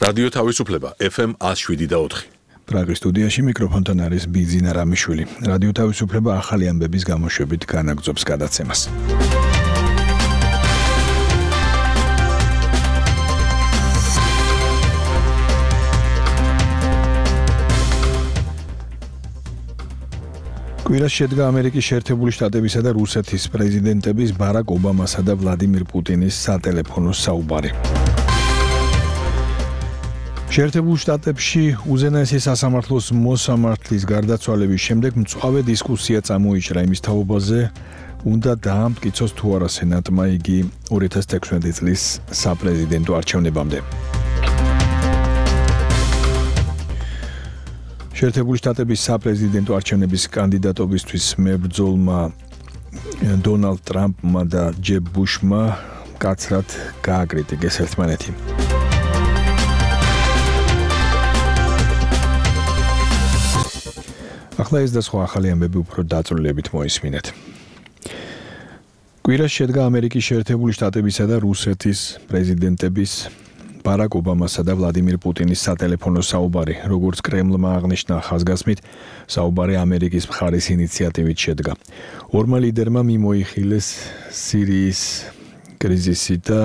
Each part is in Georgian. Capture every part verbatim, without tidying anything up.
რადიო თავისუფლება ეფ ემ one oh seven point four. პრაგის სტუდიაში მიკროფონთან არის ბიძინა რამიშვილი. რადიო თავისუფლება ახალი ამბების გამოშვებით განაგრძობს გადაცემას. კვირას შედგა ამერიკის შეერთებული შტატებისა და რუსეთის პრეზიდენტების ბარაკ ობამასა და ვლადიმირ პუტინის სატელეფონო საუბარი. შეერთებულ შტატებში უზენაესი სასამართლოს მოსამართლის გარდაცვალების შემდეგ მწვავე დისკუსია წამოიჭრა იმის თაობაზე, უნდა დაამტკიცოს თუ არა სენატმა იგი two thousand sixteen წლის საპრეზიდენტო არჩევნებამდე. შეერთებული შტატების საპრეზიდენტო არჩევნების კანდიდატობისთვის მებრძოლმა დონალდ ტრამპმა და ჯებ ბუშმა კაცრად გააკრიტიკეს ერთმანეთი. ახლა ეს და სხვა ახალი ამბები უფრო დაწვრილებით მოისმინეთ. კვირას შედგა ამერიკის შეერთებული შტატებისა და რუსეთის პრეზიდენტების ბარაკ ობამასა და ვლადიმირ პუტინის სატელეფონო საუბარი, როგორც კრემლმა აღნიშნა ხაზგასმით, საუბარი ამერიკის მხარის ინიციატივით შედგა. ორმა ლიდერმა მიმოიხილეს სირიის კრიზისი და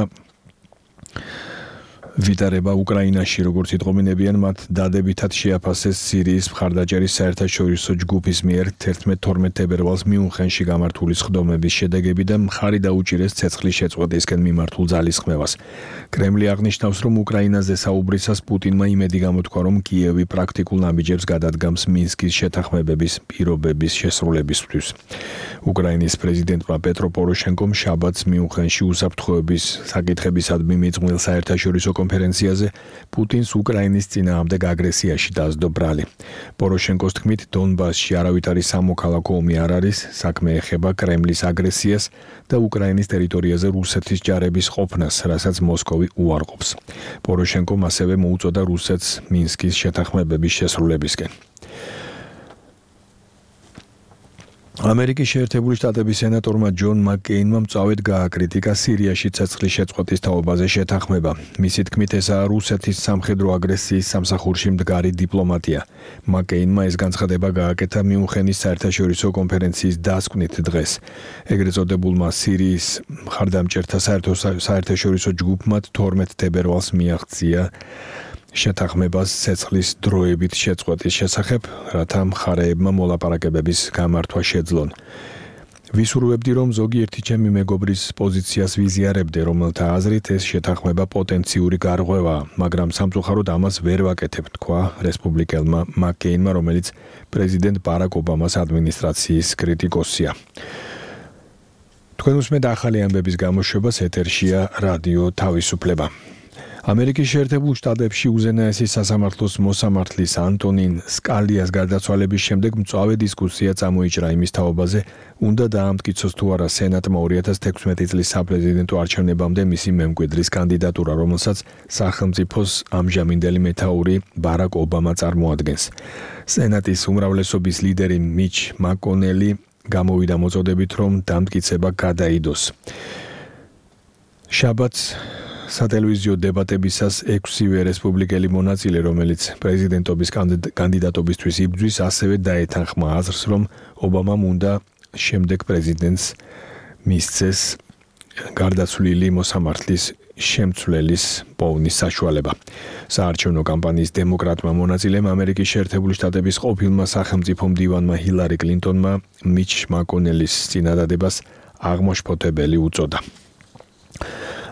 ვიტარება უკრაინაში, როგორც იტყობინებიან, მათ დადებითად შეაფასეს სირიის მხარდაჭერის საერთაშორისო ჯგუფის მიერ thirteen twelve თებერვალს მიუნხენში გამართული სხდომების შედეგები და მხარი დაუჭირეს ცეცხლის შეწყვეტისკენ მიმართულ ძალისხმევას. კრემლი აღნიშნავს, რომ უკრაინაზე საუბრისას პუტინმა იმედი გამოთქვა, რომ კიევი პრაქტიკულ ნაბიჯებს გადადგამს მინსკის შეთანხმებების პირობების შესრულებისთვის. უკრაინის პრეზიდენტმა პეტრო პოროშენკომ შაბათს მიუნხენში უსაფრთხოების საკითხებისადმი მიძღვნილ საერთაშორისო კონფერენციაზე პუტინს უკრაინის წინააღმდეგ აგრესიაში დაასდო ბრალი. პოროშენკოს თქმით, დონბასში არავითარი სამოქალაქო ომი არ არის, საქმე ეხება კრემლის აგრესიას და უკრაინის ტერიტორიაზე რუსეთის ჯარების ყოფნას, რასაც მოსკოვი უარყოფს. პოროშენკომ ასევე მოუწოდა რუსეთს მინსკის შეთანხმებების შესრულებისკენ. ამერიკის შეერთებული შტატების სენატორმა ჯონ მაკკეინმა მწვავედ გააკრიტიკა სირიაში ცეცხლის შეწყვეტის თაობაზე შეთანხმება. მისი თქმით, ესაა რუსეთის სამხედრო აგრესიის სამსახურში მდგარი დიპლომატია. მაკკეინმა ეს განცხადება გააკეთა მიუნხენის საერთაშორისო კონფერენციის დასკვნით დღეს. ეგრეთ წოდებულმა სირიის მხარდამჭერთა საერთაშორისო ჯგუფმა twelve თებერვალს მიაღწია შეთანხმებას ცეცხლის დროებით შეწყვეტის შესახებ, რათა მხარეებმა მოლაპარაკებების გამართვა შეძლონ. ვისურვებდი, რომ ზოგიერთი ჩემი მეგობრის პოზიციას ვიზიარებდე, რომელთა აზრით ეს შეთანხმება პოტენციური გარღვევაა, მაგრამ სამწუხაროდ ამას ვერ ვაკეთებ, თქვა რესპუბლიკელმა მაკკეინმა, რომელიც პრეზიდენტ ბარაკ ობამას ადმინისტრაციის კრიტიკოსია. თქვენ უსმენთ ახალი ამბების გამოშვებას, ეთერშია რადიო თავისუფლება. ამერიკის შეერთებულ შტატებში უზენაესი სასამართლოს მოსამართლის ანტონინ სკალიას გარდაცვალების შემდეგ მწვავე დისკუსია წამოიჭრა იმის თაობაზე, უნდა დაამტკიცოს თუ არა სენატმა two thousand sixteen წლის საპრეზიდენტო არჩევნებამდე მისი მემკვიდრის კანდიდატურა, რომელსაც სახელმწიფოს ამჟამინდელი მეთაური ბარაკ ობამა წარმოადგენს. სენატის უმრავლესობის ლიდერი მიჩ მაკონელი გამოვიდა მოწოდებით, რომ დამტკიცება გადაიდოს. შაბათს სატელევიზიო დებატებისას ექვსივე რესპუბლიკელი მონაწილე, რომელიც პრეზიდენტობის კანდიდატობისთვის იბრძვის, ასევე დაეთანხმა აზრს, რომ ობამამ უნდა შემდეგ პრეზიდენტს მისცეს გარდაცვლილი მოსამართლის შემცვლელის პოვნის საშუალება. საარჩევნო კამპანიის დემოკრატმა მონაწილემ ამერიკის შეერთებული შტატების ყოფილმა სახელმწიფო მდივანმა ჰილარი კლინტონმა მიჩ მაკონელის წინადადებას აღმაშფოთებელი უწოდა.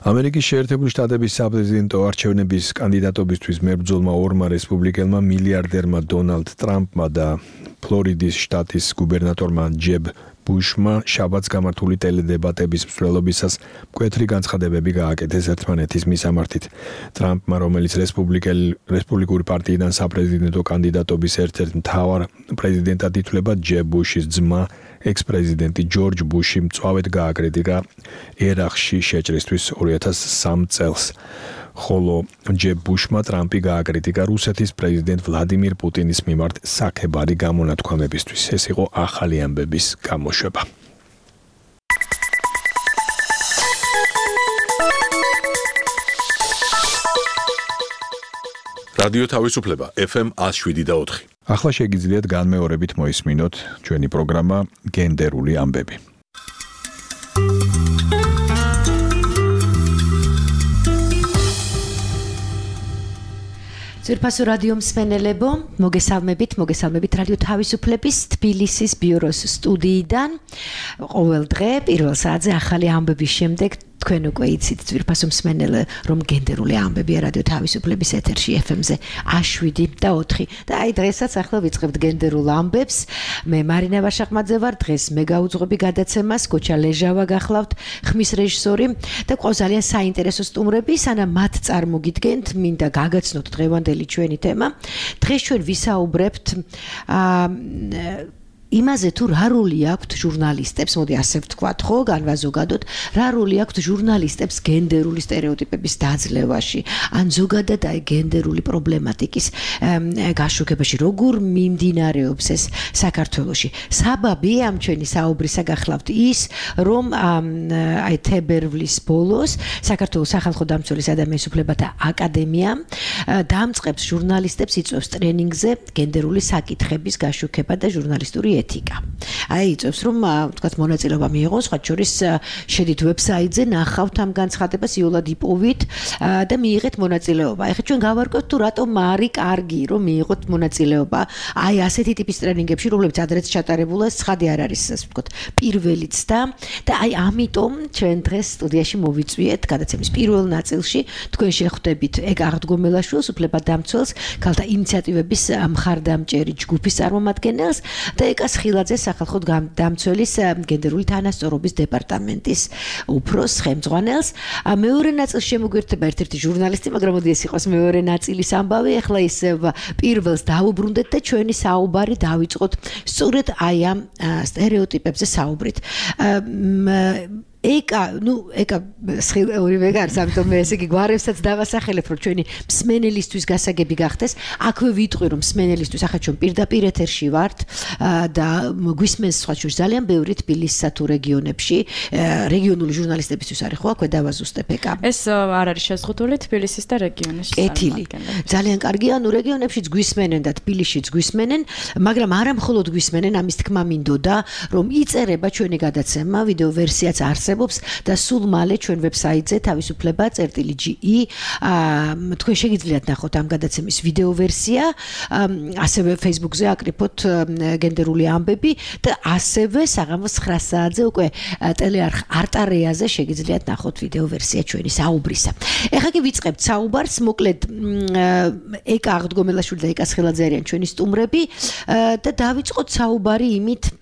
ამერიკის შეერთებული შტატების საპრეზიდენტო არჩევნების კანდიდატობისთვის მებრძოლმა ორმა რესპუბლიკელმა მილიარდერმა დონალდ ტრამპმა და ფლორიდის შტატის გუბერნატორმა ჯებ ბუშმა შაბათს გამართული ტელედებატების მსვლელობისას მკვეთრი განცხადებები გააკეთეს ერთმანეთის მისამართით. ტრამპმა, რომელიც რესპუბლიკური პარტიიდან საპრეზიდენტო კანდიდატობის ერთ-ერთ მთავარ პრეზიდენტად ითვლება, ჯებ ბუშის ძმა, ექს-პრეზიდენტი ჯორჯ ბუში მწვავედ გააკრიტიკა ერაყში შეჭრისთვის two thousand three წელს. ხოლო ჯებ ბუშმა ტრამპი გააკრიტიკა რუსეთის პრეზიდენტ ვლადიმირ პუტინის მიმართ საქებარი გამონათქვამებისთვის. ეს იყო ახალი ამბების გამოშვება. რადიო თავისუფლება F M one oh seven და four. ახლა შეგიძლიათ განმეორებით მოისმინოთ ჩვენი პროგრამა გენდერული ამბები. ძვირფასო რადიო მსმენელებო, მოგესალმებით, მოგესალმებით რადიო თავისუფლების თბილისის ბიუროს სტუდიიდან. ყოველ დღე პირველ საათზე ახალი ამბების შემდეგ თქვენ უკვე იცით ძვირფასო მსმენელე, რომ გენდერული ამბებია რადიო თავისუფლების ეთერში F M-ზე one oh seven და four. და აი დღესაც ახლა ვიწყებთ გენდერულ ამბებს. მე მარინა ვაშაყმაძე ვარ, დღეს მე გავუძღვები გადაცემას, გოჩა ლეჟავა გახლავთ, ხმის რეჟისორი და ყავს ძალიან საინტერესო სტუმრები, სანამ მათ წარმოგიდგენთ, მინდა გაგაცნოთ დღევანდელი ჩვენი თემა. დღეს ჩვენ ვისაუბრებთ აა იმაზე თუ რა როლი აქვთ ჟურნალისტებს, მოდი ასე ვთქვათ, ხო, განვაზოგადოთ, რა როლი აქვთ ჟურნალისტებს გენდერული სტერეოტიპების დაძლევაში, ან ზოგადად აი გენდერული პრობლემატიკის გაშუქებაში, როგორ მიმდინარეობს ეს საქართველოში. საბაბი ამ ჩვენი საუბრისა გახლავთ ის, რომ აი თებერვლის ბოლოს საქართველოს სახალხო დამცველის ადამიანის უფლებათა აკადემია დამწყებს ჟურნალისტებს, იწვევს ტრენინგზე გენდერული საკითხების გაშუქება და ჟურნალისტური ეთიკა. აი იწევს რომ თქვათ მონაწილეობა მიიღოს, სხვა შორის შედით ვებსაიტზე, ნახავთ ამ განცხადებას, იოლად იპოვით და მიიღეთ მონაწილეობა. ეხლა ჩვენ გავარკვევთ თუ რატომ არის კარგი რომ მიიღოთ მონაწილეობა აი ასეთი ტიპის ტრენინგებში, რომლებიც ადრეც ჩატარებულა, ცხადი არ არის, ასე ვთქვათ, პირველიც და და აი ამიტომ ჩვენ დღეს სტუდიაში მოვიწვიეთ გადაცემის პირველ ნაწილში თქვენ შეხვდებით ეგ აღდგომელაშვილს, უფლებადამცველს, ქალთა ინიციატივების მხარდამჭერი ჯგუფის წარმომადგენელს და ეკა ხილაძე სახალხო დამცველის გენდერული თანასწორობის დეპარტამენტის უფროს ხელმძღვანელს. მეორე ნაწილში შემოგვერთება ერთ-ერთი ჟურნალისტი, მაგრამ მოდი ეს იყოს მეორე ნაწილის ამბავი. ახლა ის პირველს დავუბრუნდეთ და ჩვენი საუბარი დავიწყოთ სწორედ აი ამ სტერეოტიპებზე საუბრით. ეკა, ნუ ეკა ორივე გარს, ამიტომ მე ესე იგი გვარებსაც დავასახელებ, რომ ჩვენი მსმენელისთვის გასაგები გახდეს. აქვე ვიტყვი, რომ მსმენელისთვის ახლა ჩვენ პირდაპირ ეთერში ვართ და გვისმენს სხვა შორის ძალიან ბევრი თბილისსა თუ რეგიონებში, რეგიონული ჟურნალისტებისთვის არის ხო, აქვე დავაზუსტებ ეკა. ეს არ არის შეზღუდული თბილისის და რეგიონის. კეთილი. ძალიან კარგია, ნუ რეგიონებშიც გვისმენენ და თბილისშიც გვისმენენ, მაგრამ არა მხოლოდ გვისმენენ, ამის თქმა მინდოდა, რომ იწერება ჩვენი გადაცემა, ვიდეო ვერსიაც არის და სულ მალე ჩვენ ვებსაიტზე თავისუფლება წერტილი G E თქვენ შეგიძლიათ ნახოთ ამ გადაცემის ვიდეო ვერსია, ასევე Facebook-ზე აკრიფოთ გენდერული ამბები და ასევე საღამოს nine საათზე უკვე ტელეარხ არტარეაზე შეგიძლიათ ნახოთ ვიდეო ვერსია ჩვენი საუბრისა. ეხლა კი ვიწყებთ საუბარს, მოკლედ ეკა აღდგომელაშვილი და ეკა ხილაძე არიან ჩვენი სტუმრები და დავიწყოთ საუბარი იმით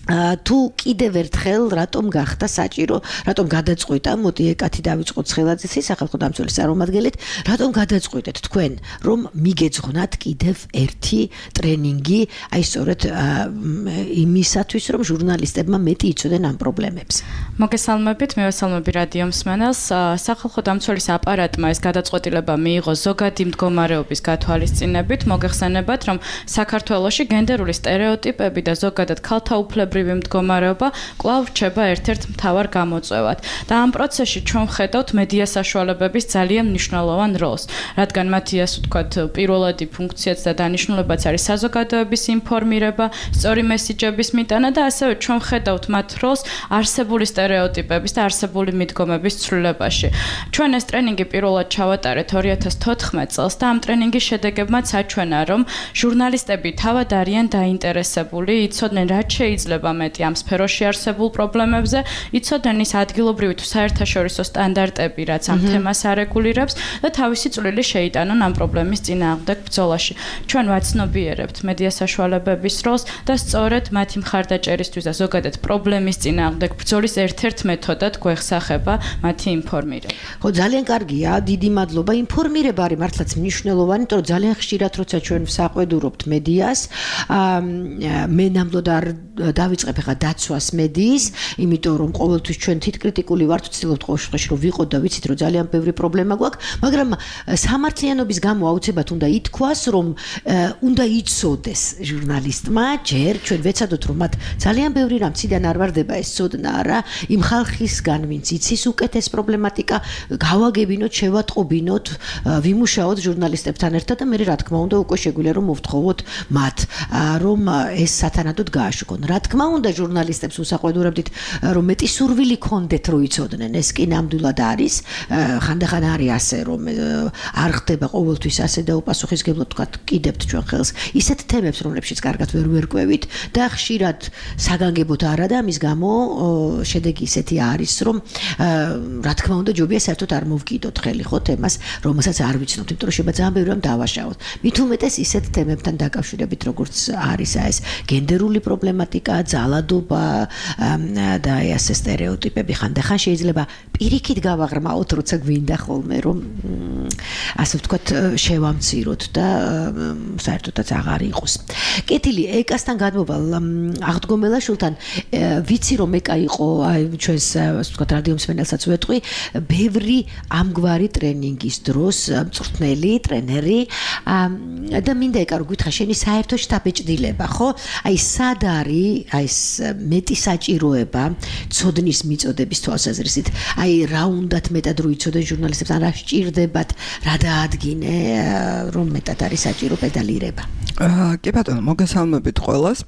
თუ კიდევ ერთხელ რატომ გახდა საჭირო, რატომ გადაწყვიტა, მოდი ეკათი დავიწყოთ ხილაძის სახალხო დამცველის წარმომადგენლით, რატომ გადაწყვიტეთ თქვენ, რომ მიგეძღვნათ კიდევ ერთი ტრენინგი, აი სწორედ იმისათვის, რომ ჟურნალისტებმა მეტი იცოდნენ ამ პრობლემებს. მოგესალმებით, მე ვესალმები რადიო მსმენელს. სახალხო დამცველის აპარატმა ეს გადაწყვეტილება მიიღო ზოგადი მდგომარეობის გათვალისწინებით, მოგეხსენებათ, რომ საქართველოში გენდერული სტერეოტიპები და ზოგადად ქალთა უფლებები მდგომარეობა კვლავ რჩება ერთ-ერთ მთავარ გამოწვევად და ამ პროცესში ჩვენ ვხედავთ მედია საშუალებების ძალიან მნიშვნელოვან როლს, რადგან მათი ასე ვთქვათ პირველადი ფუნქციაც და დანიშნულებაც არის საზოგადოების ინფორმირება, სწორი მესიჯების მიტანა და ასევე ჩვენ ვხედავთ მათ როლს არსებული სტერეოტიპების და არსებული მიდგომების ცვლილებაში. ჩვენ ეს ტრენინგი პირველად ჩავატარეთ two thousand fourteen წელს და ამ ტრენინგის შედეგებმაც აჩვენა, რომ ჟურნალისტები თავად არიან დაინტერესებული, იცოდნენ რაც შეიძლება მეტი ამ სფეროში არსებულ პრობლემებზე, იცოდნენ ის ადგილობრივი თუ საერთაშორისო სტანდარტები, რაც ამ თემას არეგულირებს და თავისი წვლილი შეიტანონ ამ პრობლემის წინააღმდეგ ბრძოლაში. ჩვენ ვაცნობიერებთ მედია საშუალებების როლს და სწორედ მათი მხარდაჭერისთვის და ზოგადად პრობლემის წინააღმდეგ ბრძოლის ერთ-ერთ მეთოდად გვეხსახება მათი ინფორმირება. ხო, ძალიან კარგია, დიდი მადლობა. ინფორმირება არის მართლაც მნიშვნელოვანი, იმიტომ რომ ძალიან ხშირად როცა ჩვენ ვსაყვედურობთ მედიას, მე ნამდვილად არ დავიწყებ ახლა დაცვას მედიის, იმიტომ რომ ყოველთვის ჩვენ თითკრიტიკული ვართ, ვცდილობთ ყოველ შემთხვევაში რომ ვიყოთ და ვიცით რომ ძალიან ბევრი პრობლემა გვაქვს, მაგრამ სამართლიანობის გამო აუცილებლად უნდა ითქვას, რომ უნდა იცოდეს ჟურნალისტმა ჯერ ჩვენ ვეცადოთ რომ მათ ძალიან ბევრი რამ ციდან არ ვარდება ეს ცოდნა არა, იმ ხალხისგან ვინც იცის უკეთეს პრობლემატიკა, გავაგებინოთ, შევატყობინოთ, ვიმუშაოთ ჟურნალისტებთან ერთად და მე რა თქმა უნდა უკვე შეგვიძლია რომ მოვთხოვოთ მათ რომ ეს სათანადოდ გააშუქონ. რა თქმა უნდა ჟურნალისტებს უსაყვედურებდით რომ მეტი სურვილი ქონდეთ რომ იცოდნენ, ეს კი ნამდვილად არის, ხანდახან არის ასე რომ არ ხდება ყოველთვის ასე და უპასუხისგებლად თქვა კიდევთ ჩვენ ხელს ისეთ თემებს რომლებშიც კარგად ვერ ვერკვევით და ხშირად საგანგებოდ არა და ამის გამო შედეგი ისეთი არის რომ რა თქმა უნდა ჯობია საერთოდ არ მოვკიდოთ ხელი ხო თემას რომელსაც არ ვიცნობთ, იმიტომ რომ შეიძლება ძალიან ბევრი რამ დავაშავოთ. მით უმეტეს ისეთ თემებთან დაკავშირებით როგორც არის ეს გენდერული პრობლემატიკა, ძალადობა და ეს სტერეოტიპები ხანდახან შეიძლება პირიქით გავაღრმაოთ, როცა გვინდა ხოლმე რომ ასე ვთქვათ შევამციროთ და საერთოდაც აღარ იყოს. კეთილი ეკასთან გადმოვალ აღდგომელაშვილთან ვიცი რომ ეკა იყო აი ჩვენს ასე ვთქვათ რადიო მსმენელსაც ვეტყვი ბევრი ამგვარი ტრენინგის დროს მწვრთნელი ტრენერი და მინდა ეკა რომ გითხრა შენი საერთო შტაბეჭდილება ხო აი სად არის აი ეს მეტი საჭიროება ცოდნის მიწოდების თვალსაზრისით აი რა უნდათ მეტად რო იცოდნენ ჟურნალისტებს ან რა სჭირდებათ რა დაადგინე რომ მეტად არის საჭირო პედალირება. კი ბატონო, მოგესალმებით ყველას.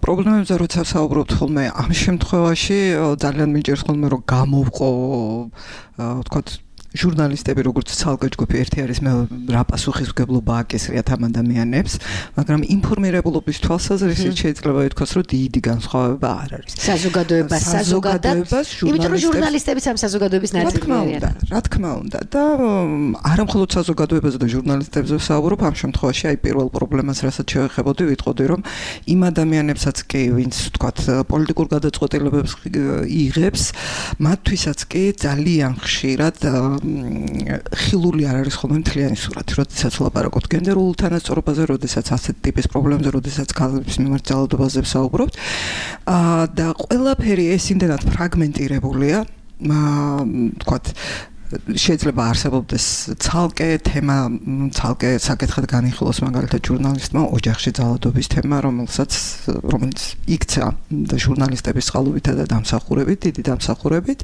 პრობლემებზე როცა საუბრობთ ხოლმე ამ შემთხვევაში ძალიან მიჭირს ხოლმე რომ გამოვყო ვთქვათ ჟურნალისტები როგორც ცალკე ჯგუფი ერთი არის მე რა პასუხისმგებლობა აკისრიათ ამ ადამიანებს, მაგრამ ინფორმირებულობის თვალსაზრისით შეიძლება ითქვას, რომ დიდი განსხვავება არ არის. საზოგადოებას, საზოგადოებას, იმიტომ რომ ჟურნალისტებიც ამ საზოგადოების ნაწილი არიან. რა თქმა უნდა, და არა მხოლოდ საზოგადოებაზე და ჟურნალისტებზე ვსაუბრობ, ამ შემთხვევაში აი პირველ პრობლემას, რასაც შევეხებოდი, ვიტყოდი, რომ იმ ადამიანებსაც კი, ვინც ვთქვათ, პოლიტიკურ გადაწყვეტილებებს იღებს, მათთვისაც კი ძალიან ხშირად ხილული არ არის ხოლმე მთლიანი სურათი, როდესაც ვლაპარაკობთ გენდერულ თანასწორობაზე, როდესაც ასეთ ტიპის პრობლემებზე, როდესაც ქალების მიმართ ძალადობაზე ვსაუბრობთ და ყველაფერი ეს იმდენად ფრაგმენტირებულია, თქვათ შეიძლება არსებობდეს ცალკე თემა, ცალკე საკითხად განიხილოს მაგალითად ჟურნალისტმა ოჯახში ძალადობის თემა, რომელსაც რომელიც იქცა და ჟურნალისტების წყალობითა და დამსახურებით, დიდი დამსახურებით,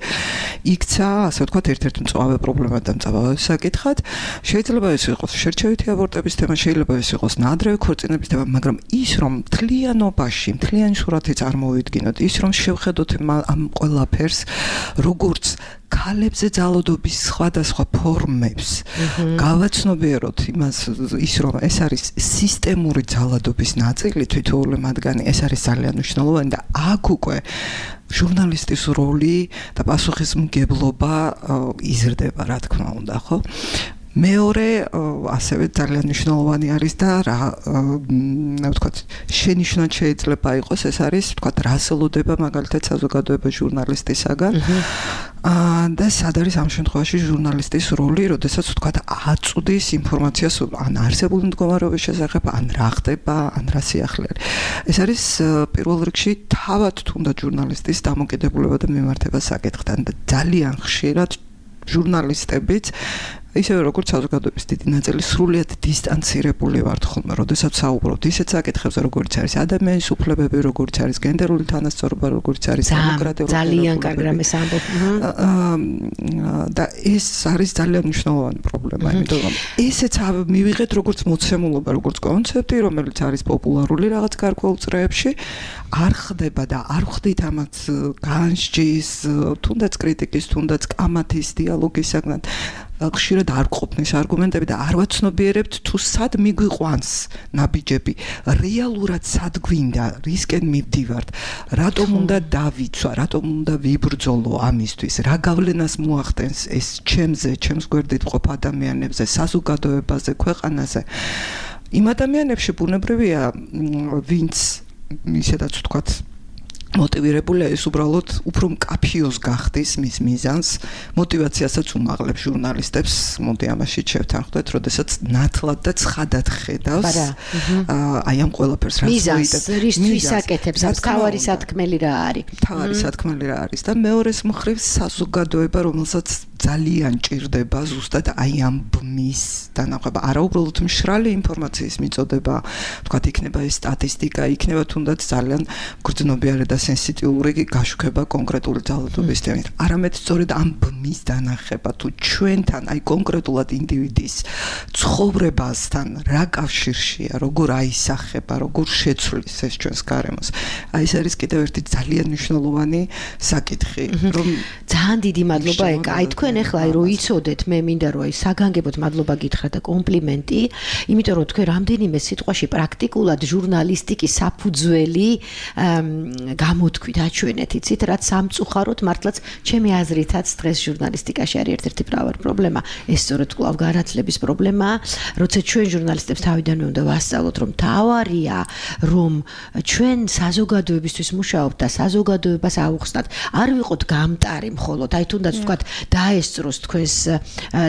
იქცა, ასე ვთქვათ, ერთ-ერთი მწვავე პრობლემა და მწვავე საკითხად. შეიძლება ეს იყოს შერჩევითი აბორტების თემა, შეიძლება ეს იყოს ნაადრევი ქორწინების თემა, მაგრამ ის რომ მთლიანობაში, მთლიანი სურათი წარმოვიდგინოთ, ის რომ შევხედოთ ამ ყველაფერს, როგორც ქალებზე ძალადობის სხვადასხვა ფორმებს გავაცნობიეროთ იმას ის რომ ეს არის სისტემური ძალადობის ნაწილი თითოეული მათგანი ეს არის ძალიან მნიშვნელოვანი და აქ უკვე ჟურნალისტის როლი და პასუხისმგებლობა იზრდება რა თქმა უნდა ხო მეორე ასევე ძალიან მნიშვნელოვანი არის და რა ვთქვათ შენიშვნად შეიძლება იყოს ეს არის ვთქვათ რასელოდება მაგალითად საზოგადოება ჟურნალისტისაგან და სად არის ამ შემთხვევაში ჟურნალისტის როლი, როდესაც ვთქვათ აწვდის ინფორმაციას ან არსებული მდგომარეობის შესახებ, ან რა ხდება, ან რა სიახლე არის. ეს არის პირველ რიგში თავად თუნდაც ჟურნალისტის დამოკიდებულება და მიმართება საკითხთან და ძალიან ხშირად ჟურნალისტებიც ისევე როგორც საზოგადოების დიდი ნაწილი სრულიად დისტანცირებული ვართ ხოლმე, როდესაც საუბრობთ ისეთ საკითხებზე, როგორც არის ადამიანის უფლებები, როგორც არის გენდერული თანასწორობა, როგორც არის დემოკრატიული ძალიან კარგი რამეს ამბობ. და ეს არის ძალიან მნიშვნელოვანი პრობლემა, იმიტომ რომ ესეც მივიღეთ როგორც მოცემულობა, როგორც კონცეფტი, რომელიც არის პოპულარული რაღაც გარკვეულ წრეებში, არ ხდება და არ ხდით ამაც განსჯის, თუნდაც კრიტიკის, თუნდაც კამათის დიალოგის საგნად ხშირად არ ყოფნის არგუმენტები და არ ვაცნობიერებთ თუ სად მიგვიყვანს ნაბიჯები რეალურად სად გვინდა რისკენ მივდივართ რატომ უნდა დავიცვა რატომ უნდა ვიბრძოლო ამისთვის რა გავლენას მოახდენს ეს ჩემზე ჩემს გვერდით ყოფ ადამიანებზე საზოგადოებაზე ქვეყანაზე იმ ადამიანებში ბუნებრივია ვინც ისედაც ვთქვათ მოტივირებულია ის უბრალოდ უფრო მკაფიოს გახდის მის მიზანს, მოტივაციასაც უმაღლებს ჟურნალისტებს, მოდი ამაში შევთანხმდეთ, როდესაც ნათლად და ცხადად ხედავს აი ამ ყველაფერს რაც მიზანს, რისთვის აკეთებს, ამ თავარი სათქმელი რა არის. თავარი სათქმელი რა არის და მეორეს მხრივ საზოგადოება, რომელსაც ძალიან ჭირდება ზუსტად აი ამ ბმის დანახება, არა უბრალოდ მშრალი ინფორმაციის მიწოდება, თქვათ იქნება ეს სტატისტიკა, იქნება თუნდაც ძალიან გრძნობიარე და სენსიტიური გაშუქება კონკრეტული ძალადობის თემით. არამედ სწორედ ამ ბმის დანახება თუ ჩვენთან აი კონკრეტულად ინდივიდის ცხოვრებასთან რა კავშირშია, როგორ აისახება, როგორ შეცვლის ეს ჩვენს გარემოს. აი ეს არის კიდევ ერთი ძალიან მნიშვნელოვანი საკითხი, რომ ძალიან დიდი მადლობა ეკა. აი თქვენ ახლა აი რო იცოდეთ, მე მინდა რომ აი საგანგებოდ მადლობა გითხრა და კომპლიმენტი, იმიტომ რომ თქვენ რამდენიმე სიტყვაში პრაქტიკულად ჟურნალისტიკის საფუძველი გამოთქვით, აჩვენეთ, იცით, რაც სამწუხაროდ მართლაც ჩემი აზრითაც დღეს ჟურნალისტიკაში არის ერთ-ერთი მთავარი პრობლემა. ეს სწორედ კვლავ განათლების პრობლემაა, როცა ჩვენ ჟურნალისტებს თავიდანვე უნდა ვასწავლოთ, რომ თავარია, რომ ჩვენ საზოგადოებისთვის ვმუშაობთ და საზოგადოებას ავუხსნათ. არ ვიყოთ გამტარი მხოლოდ, აი თუნდაც ვთქვათ, დაესწროს თქვენს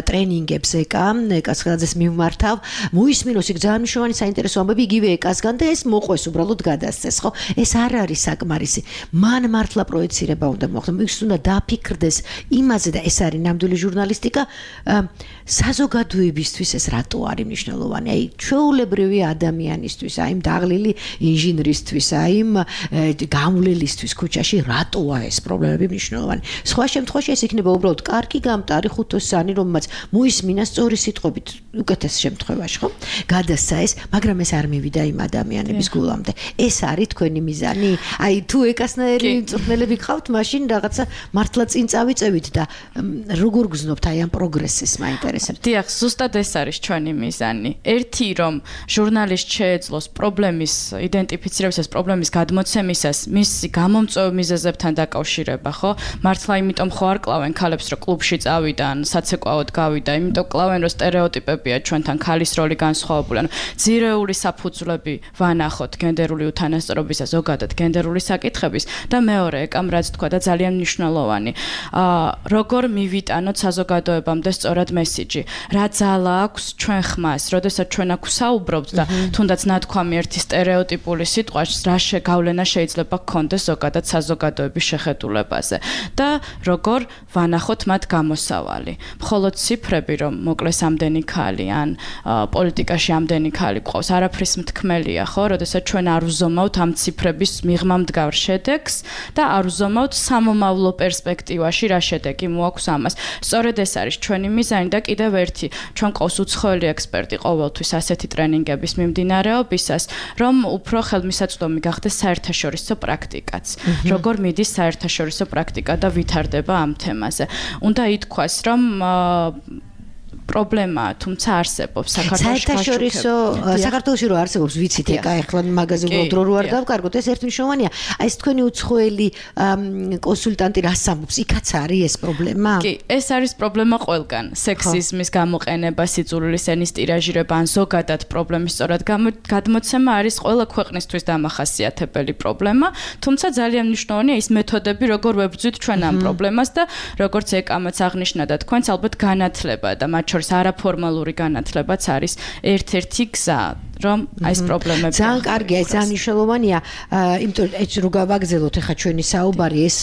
ტრენინგებს ეკა, ეკას ხელაძეს მივმართავ, მოისმინოს იქ ძალიან მნიშვნელოვანი საინტერესო ამბები იგივე ეკასგან და ეს მოყვეს უბრალოდ გადასცეს, ხო? ეს არ არის საკმარისი. მან მართლა პროექცირება უნდა მოხდეს, ის უნდა დაფიქრდეს იმაზე და ეს არის ნამდვილი ჟურნალისტიკა, საზოგადოებისთვის ეს რატო არის მნიშვნელოვანი? აი ჩვეულებრივი ადამიანისთვის, აი იმ დაღლილი ინჟინრისთვის, აი იმ გამვლელისთვის ქუჩაში რატოა ეს პრობლემები მნიშვნელოვანი? სხვა შემთხვევაში ეს იქნება უბრალოდ კარგი გამტარი ხუთოსანი, რომელმაც მოისმინა სწორი სიტყვებით უკეთეს შემთხვევაში, ხო? გადასცა ეს, მაგრამ ეს არ მივიდა იმ ადამიანების გულამდე. ეს არის თქვენი მიზანი? აი თუ ეკასნაირი მწვრთნელები გყავთ, მაშინ რაღაცა მართლა წინ წავიწევით და როგორ გზნობთ აი ამ პროგრესს მაინტერესებს. დიახ, ზუსტად ეს არის ჩვენი მიზანი. ერთი რომ ჟურნალისტ შეეძლოს პრობლემის იდენტიფიცირებისას, პრობლემის გადმოცემისას, მისი გამომწვევ მიზეზებთან დაკავშირება, ხო? მართლა იმიტომ ხო არ კლავენ ქალებს, რომ კლუბში წავიდან, საცეკვაოდ გავიდა, იმიტომ კლავენ, რომ სტერეოტიპებია ჩვენთან ქალის როლი განსხვავებული. ანუ ძირეული საფუძვლები ვანახოთ გენდერული უთანასწორობისა, ზოგადად გენდერული საკითხების და მეორე ეკამ რაც თქვა და ძალიან მნიშვნელოვანი. აა როგორ მივიტანოთ საზოგადოებამდე სწორად მესიჯი? რა ძალა აქვს ჩვენ ხმას, როდესაც ჩვენ აქ ვსაუბრობთ და თუნდაც ნათქვამი ერთი სტერეოტიპული სიტყვას, რა შეგავლენა შეიძლება გქონდეს ზოგადად საზოგადოების შეხედულებაზე და როგორ ვანახოთ მათ გამოსავალი. მხოლოდ ციფრები რომ მოკლეს ამდენი ქალი ან პოლიტიკაში ამდენი ქალი ყავს, არაფრის მთქმელია, ხო? როდესაც ჩვენ არ ვზომავთ ამ ციფრების მიღმა მდგარ შედეგს და არ ვზომავთ სამომავლო პერსპექტივაში რა შედეგი მოაქვს ამას. სწორედ ეს არის ჩვენი მიზანი და კიდევ ერთი, ჩვენ ყავს უცხოელი ექსპერტი ყოველთვის ასეთი ტრენინგების მიმდინარეობისას, რომ უფრო ხელმისაწვდომი გახდეს საერთაშორისო პრაქტიკაც. როგორ მიდის საერთაშორისო პრაქტიკა და ვითარდება ამ თემაზე. უნდა ითქვას, რომ პრობლემაა, თუმცა არსებობს საქართველოში. საერთაშორისო საქართველოში რო არსებობს, ვიცით ეკა, ეხლა მაგაზე უბრალოდ რო არ დავკარგოთ, ეს ერთ მნიშვნელოვანია. აი ეს თქვენი უცხოელი კონსულტანტი რას ამბობს? იქაც არის ეს პრობლემა? კი, ეს არის პრობლემა ყველგან. სექსიზმის გამოყენება, სიძულვილის ენის ტირაჟირება, ან ზოგადად პრობლემის სწორად გადმოცემა არის ყველა ქვეყნისთვის დამახასიათებელი პრობლემა, თუმცა ძალიან მნიშვნელოვანია ის მეთოდები, როგორ ვებრძვით ჩვენ ამ პრობლემას და როგორც ეკამაც აღნიშნა და თქვენც ალბათ განათლება და მათ შორის არაფორმალური განათლებაც არის ერთ-ერთი გზა, რომ აი ეს პრობლემები. ძალიან კარგია, ეს ძალიან მნიშვნელოვანია, იმიტომ რომ ეს რო გავაგზავნოთ ახლა ჩვენი საუბარი, ეს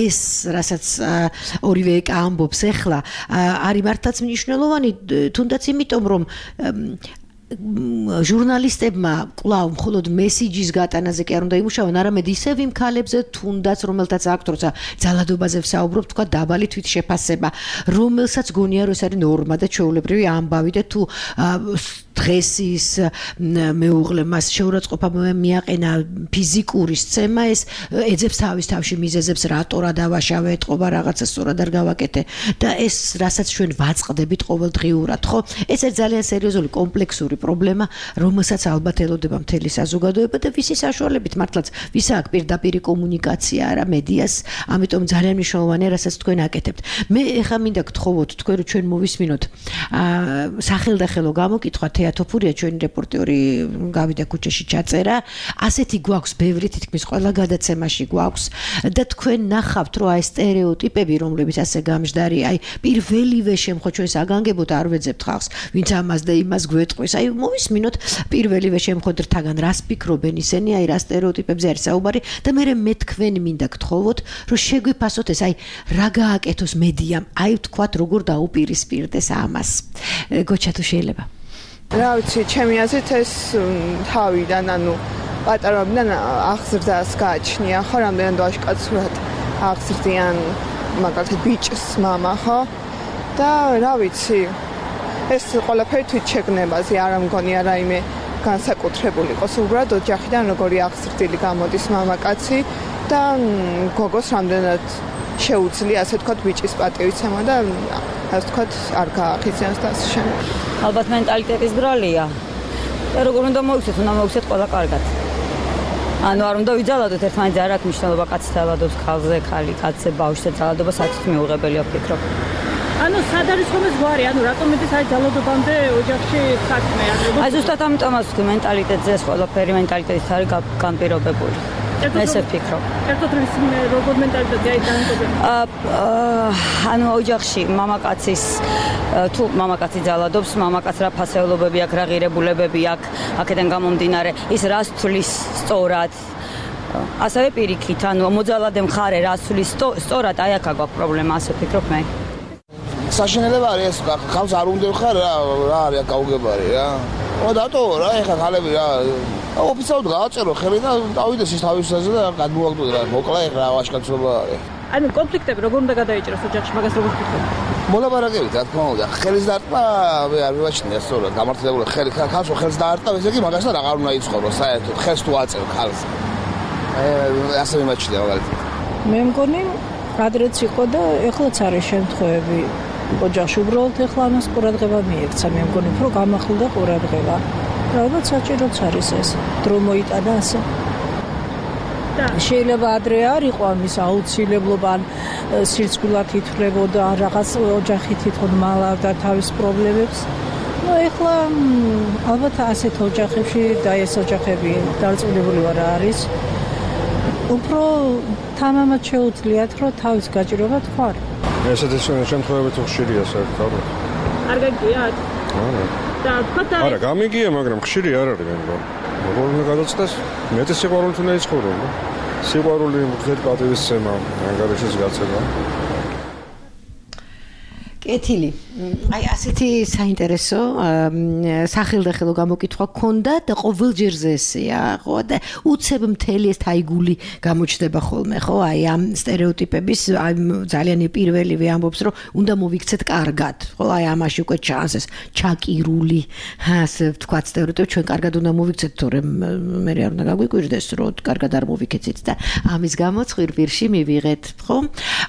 ეს რასაც ორივე ეკა ამბობს ახლა, არის მართლაც მნიშვნელოვანი, თუნდაც იმიტომ რომ ჟურნალისტებმა კვლავ მხოლოდ მესიჯის გატანაზე კი არ უნდა იმუშაონ, არამედ ისევ იმ ქალებზე, თუნდაც რომელთაც აქვთ, როცა ძალადობაზე ვსაუბრობთ, თქვა დაბალი თვითშეფასება, რომელსაც გონია რომ ეს არის ნორმა და ჩვეულებრივი ამბავი და თუ დღეს ის მეუღლე მას შეურაცხყოფა მიაყენა ფიზიკური სცემა, ეს ეძებს თავის თავში მიზეზებს, რატო რა დავაშავე, ეთყობა რაღაცა სწორად არ გავაკეთე და ეს რასაც ჩვენ ვაწყდებით ყოველდღიურად, ხო? ეს არის ძალიან სერიოზული კომპლექსური პრობლემა, რომელსაც ალბათ ელოდება მთელი საზოგადოება და ვისი საშუალებით მართლაც ვის აქვს პირდაპირი კომუნიკაცია არა მედიას, ამიტომ ძალიან მნიშვნელოვანია, რასაც თქვენ აკეთებთ. მე ეხლა მინდა გთხოვოთ თქვენ რომ ჩვენ მოვისმინოთ სახელდახელო გამოკითხვა გია თოფურია ჩვენი რეპორტერი გავიდა ქუჩაში ჩაწერა ასეთი გვაქვს ბევრი თითქმის ყველა გადაცემაში გვაქვს და თქვენ ნახავთ რომ აი სტერეოტიპები რომლებიც ასე გამჟდარი აი პირველივე შემთხვევაში ჩვენ საგანგებოდ არ ვეძებთ ხალხს ვინც ამას და იმას გვეტყვის აი მოვისმინოთ პირველივე შემთხვევიდან რას ფიქრობენ ისინი აი რა სტერეოტიპებზე არის საუბარი და მე მე თქვენ მინდა გთხოვოთ რომ შეგვიფასოთ ეს აი რა გააკეთოს მედიამ აი თქვათ როგორ დაუპირისპირდეს ამას გოჩა თუ შეიძლება რა ვიცი ჩემი აზრით ეს თავიდან ანუ პატარობიდან აღზრდას გააჩნია ხო რამდენად ვაშკაცურად აღზრდიან მაგალითად ბიჭს მამა ხო და რა ვიცი ეს ყველაფერი თვით შეგნებაზე არ მგონია რაიმე განსაკუთრებული იყოს უბრალოდ ოჯახიდან როგორი აღზრდილი გამოდის მამაკაცი და გოგოს რამდენად შეუძლია ასე ვთქვათ ბიჭის პატივიცემა და ასე ვთქვათ არ გაახიზიანოს და ასე შემდეგ. ალბათ მენტალიტეტის ბრალია. და როგორ უნდა მოიქცეთ, უნდა მოიქცეთ ყველა კარგად. ანუ არ უნდა ვიძალადოთ ერთმანეთს არ აქვს მნიშვნელობა კაცი ძალადობს ქალზე, ხალი კაცზე ბავშვზე ძალადობა საერთოდ მიუღებელია ვფიქრობ. ანუ სად არის ხომ ეს გვარი? ანუ რატომ მეტი საერთოდ ძალადობამდე ოჯახში საქმე არ არის? აი ზუსტად ამიტომაც ვთქვი მენტალიტეტზე ეს ყველაფერი მენტალიტეტით არის განპირობებული. ესე ვფიქრობ. ერთად როგორ მენტალიტეტი აი განპირობებული? აა ანუ ოჯახში მამაკაცის თუ მამაკაცი ძალადობს, მამაკაც რა ფასეულობები აქვს, რა ღირებულებები აქვს, აქედან გამომდინარე, ის რას თulis სწორად. ასევე პირიქით, ანუ მოძალადე მხარე რას თulis სწორად, აი აქ აქვს პრობლემა, ასე ვფიქრობ მე. საშინელება არის ეს ხალხს არ უნდა ხარ რა რა არის გაუგებარი რა. ო დატო რა ეხა ხალები რა ოფიციალურად გააწერო ხელი და დავიდეს ის თავისაზე და გადმოაგდო რა მოკლა ეხა რა ვაშკაცობა არის. ანუ კონფლიქტები როგორ უნდა გადაიჭრას ოჯახში მაგას როგორ ვფიქრობ? მოლაპარაკებით რა თქმა უნდა ხელის დარტყმა მე არ მივაჩნია სწორად გამართლებული ხელი ხალხს ხელს დაარტყა ესე იგი მაგასთან აღარ უნდა იცხოვრო საერთოდ ხელს თუ აწევ ხალხს. აი ასე მიმაჩნია მაგალითად. მე მგონი ადრეც იყო და ეხლაც არის შემთხვევები ოჯახში უბრალოდ ეხლა ამას ყურადღება მიექცა მე მგონი უფრო გამახლდა ყურადღება. ალბათ საჭიროც არის ეს დრო მოიტანა ასე. შეიძლება ადრე არ იყო ამის აუცილებლობა ან სირცქვილად ითვლებოდა ან რაღაც ოჯახი თვითონ მალავდა თავის პრობლემებს. ნუ ეხლა ალბათ ასეთ ოჯახებში და ეს ოჯახები დარწმუნებული ვარ არის. უფრო თამამად შეუძლიათ რომ თავის გაჭირვება თქვა. ესეთი შემთხვევები თუ ხშირია საერთოდ. არ გაგიათ? არა. და თქვა არა, გამიგია, მაგრამ ხშირი არ არის მე მგონი. როგორ უნდა გადაწყვეტს? მეტი სიყვარული უნდა იცხოვრო. სიყვარული მგზედ პატივისცემა, ანგარიშის გაცემა. კეთილი. აი ასეთი საინტერესო სახელდახელო გამოკითხვა გქონდა და ყოველჯერზე ესეა, ხო? და უცებ მთელი ეს თაიგული გამოჩნდება ხოლმე, ხო? აი ამ სტერეოტიპების აი ძალიან პირველივე ამბობს, რომ უნდა მოვიქცეთ კარგად, ხო? აი ამაში უკვე ჩანს ეს ჩაკირული, ასე ვთქვათ, სტერეოტიპი ჩვენ კარგად უნდა მოვიქცეთ, თორემ მე არ უნდა გაგვიკვირდეს, რომ კარგად არ მოვიქეცით და ამის გამო ხვირპირში მივიღეთ, ხო?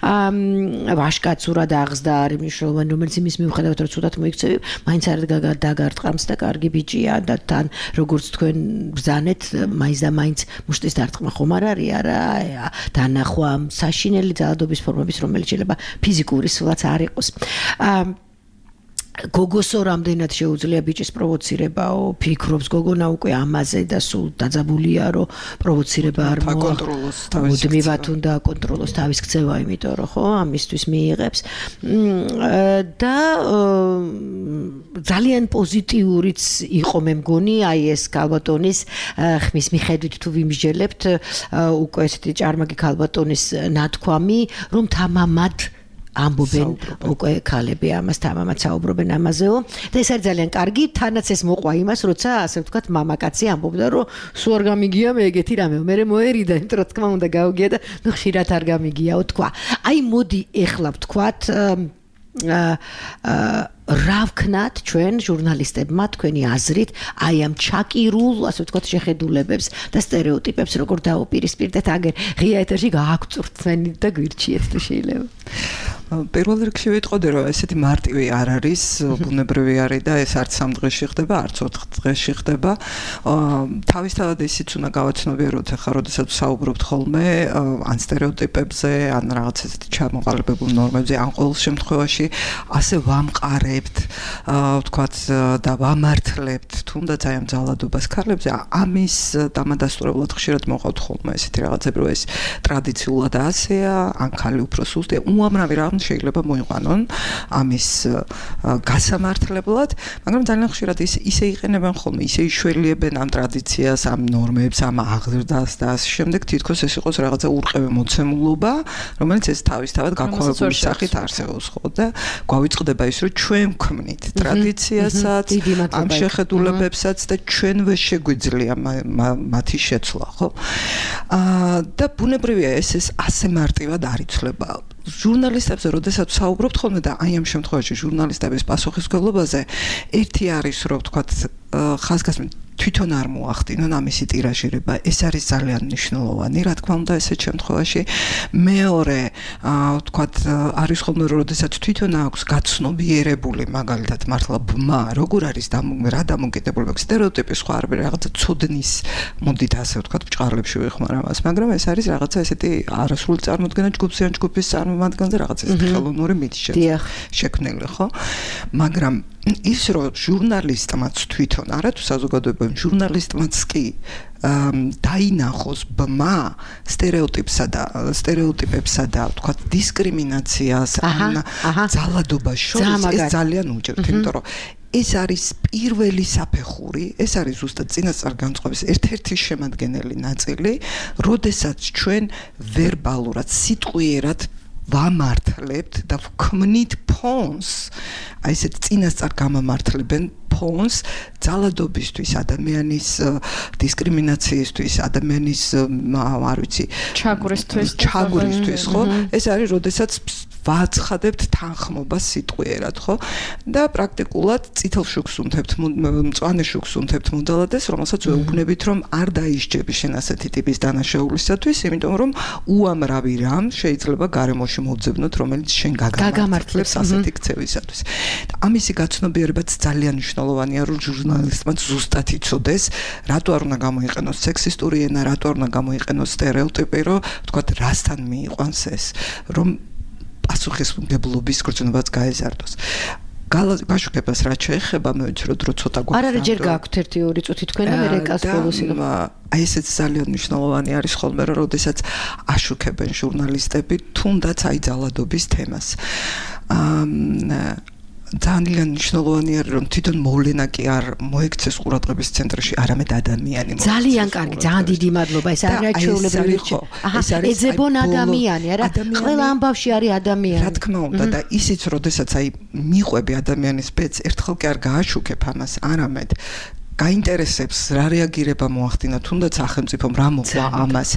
აა ვაშკაცურად აღზდა არის მნიშვნელოვანი, რომელიც იმის მიუხედავად რომ ცუდად მოიქცევი, მაინც არ დაგარტყამს და კარგი ბიჭია და თან როგორც თქვენ ბრძანეთ, მაინც და მაინც მუშტის დარტყმა ხომ არ არის, არა, დანახვა საშინელი ძალადობის ფორმების, რომელიც შეიძლება ფიზიკური სულაც არ იყოს. აა გოგოსო რამდენად შეუძლია ბიჭის პროვოცირებაო, ფიქრობს გოგონა უკვე ამაზე და სულ დაძაბულია, რომ პროვოცირება არ აკონტროლოს თავის მუდმივად უნდა აკონტროლოს თავის ქცევა, იმიტომ რომ ხო, ამისთვის მიიღებს. და ძალიან პოზიტიურიც იყო მე მგონი, აი ეს ქალბატონის ხმის მიხედვით თუ ვიმსჯელებთ, უკვე ესეთი ჭარმაგი ქალბატონის ნათქვამი, რომ თამამად ამბობენ უკვე ქალები ამას თამამად საუბრობენ ამაზეო და ეს არის ძალიან კარგი თანაც ეს მოყვა იმას როცა ასე ვთქვათ მამაკაცი ამბობდა რომ სულ არ გამიგია მე ეგეთი რამე მე მოერიდა იმიტომ რომ თქმა უნდა გაუგია და ნუ ხშირად არ გამიგიაო თქვა აი მოდი ეხლა ვთქვათ აა რა ვქნათ ჩვენ ჟურნალისტებმა თქვენი აზრით აი ამ ჩაკირულ ასე ვთქვათ შეხედულებებს და სტერეოტიპებს როგორ დაუპირისპირდეთ აგერ ღია ეთერში გააგწურთ თქვენი და გვირჩიეთ თუ შეიძლება პირველ რიგში ვიტყოდი, რომ ესეთი მარტივი არ არის, ბუნებრივი არის და ეს არც სამ დღეში ხდება, არც ოთხ დღეში ხდება. თავისთავად ისიც უნდა გავაცნობიეროთ, ახლა როდესაც საუბრობთ ხოლმე ან სტერეოტიპებზე, ან რაღაც ესეთი ჩამოყალიბებულ ნორმებზე, ან ყოველ შემთხვევაში ასე ვამყარებთ, ვთქვათ და ვამართლებთ, თუნდაც აი ამ ძალადობას ქალებზე, ამის დამადასტურებლად ხშირად მოყავთ ხოლმე ესეთი რაღაცები, რომ ეს ტრადიციულად ასეა, ან ხალი უფრო სუსტია, უამრავი რამ შეიძლება მოიყვანონ ამის გასამართლებლად, მაგრამ ძალიან ხშირად ის ისე იყენებენ ხოლმე, ისე იშველიებენ ამ ტრადიციას, ამ ნორმებს, ამ აღზრდას და ამ შემდეგ თითქოს ეს იყოს რაღაცა ურყევი მოცემულობა, რომელიც ეს თავისთავად გაქვავებული სახით არსებობს, ხო და გვავიწყდება ის, რომ ჩვენ ვქმნით ტრადიციასაც, ამ შეხედულებებსაც და ჩვენ ვერ შეგვიძლია მათი შეცვლა, ხო? და ბუნებრივია ეს ეს ასე მარტივად არ იცვლება. ჟურნალისტებზე, როდესაც საუბრობთ ხოლმე და აი ამ შემთხვევაში ჟურნალისტების პასუხისმგებლობაზე, ერთი არის, რომ ვთქვათ, ხაზგასმით თვითონ არ მოახდინონ ამისი ტირაჟირება, ეს არის ძალიან მნიშვნელოვანი, რა თქმა უნდა, ესეთ შემთხვევაში. მეორე, ვთქვათ, არის ხოლმე, როდესაც თვითონ აქვს გაცნობიერებული, მაგალითად, მართლა ბმა, როგორ არის რა დამოკიდებულება, სტერეოტიპი სხვა არ არის, რაღაცა ცოდნის მოდით ასე ვთქვათ, ბჭყარლებში ვიხმარ ამას, მაგრამ ეს არის რაღაცა ესეთი არასრული წარმოდგენა ჯგუფის ან ჯგუფის წარმომადგენელზე, რაღაცა ესეთი ხელოვნური მითი შექმნილი, ხო? მაგრამ ის რომ ჟურნალისტმაც თვითონ არა თუ საზოგადოებრივ ჟურნალისტმაც კი დაინახოს ბმა სტერეოტიპსა და სტერეოტიპებსა და ვთქვათ დისკრიმინაციას ან ძალადობას შორის ეს ძალიან უჭირთ, იმიტომ რომ ეს არის პირველი საფეხური, ეს არის ზუსტად წინასწარ განწყობის ერთ-ერთი შემადგენელი ნაწილი, როდესაც ჩვენ ვერბალურად, სიტყვიერად ვამართლებთ და ვქმნით ფონს, აი ესეთ წინასწარ გამამართლებენ ფონს ძალადობისთვის, ადამიანის დისკრიმინაციისთვის, ადამიანის არ ვიცი, ჩაგვრისთვის, ჩაგვრისთვის, ხო? ეს არის, როდესაც ვაცხადებთ თანხმობას სიტყვიერად, ხო? და პრაქტიკულად წითელ შუქს უნთებთ, მწვანე შუქს უნთებთ მოდალადეს, რომელსაც ვეუბნებით, რომ არ დაისჯები შენ ასეთი ტიპის დანაშაულისათვის, იმიტომ რომ უამრავი რამ შეიძლება გარემოში მოვძებნოთ, რომელიც შენ გაგამართლებს ასეთი ქცევისათვის. ამისი გაცნობიერებაც ძალიან მნიშვნელოვანია, რომ ჟურნალისტმაც ზუსტად იცოდეს, რატო არ უნდა გამოიყენოს სექსისტური ენა, რატო არ უნდა გამოიყენოს სტერეოტიპი, რომ ვთქვათ, რასთან მიიყვანს ეს, რომ პასუხისმგებლობის გრძნობაც გაეზარდოს. გაშუქებას რაც შეეხება, მე ვიცი, რომ დრო ცოტა გვაქვს. არ არის ჯერ გაქვთ ერთი ორი წუთი თქვენ და მე რეკას ბოლოსი. აი ესეც ძალიან მნიშვნელოვანი არის ხოლმე, რომ როდესაც აშუქებენ ჟურნალისტები თუნდაც აი ძალადობის თემას. აა ძალიან მნიშვნელოვანი არის, რომ თვითონ მოვლენა კი არ მოექცეს ყურადღების ცენტრში, არამედ ადამიანი. ძალიან კარგი, ძალიან დიდი მადლობა. ეს არის ჩვეულებრივი რჩევა. აჰა, ეძებონ ადამიანი, არა? ყველა ამბავში არის ადამიანი. რა თქმა უნდა და ისიც, როდესაც აი მიყვები ადამიანის ბედს, ერთხელ კი არ გააშუქებ ამას, არამედ გაინტერესებს რა რეაგირება მოახდინა, თუნდაც სახელმწიფომ რა მოყვა ამას.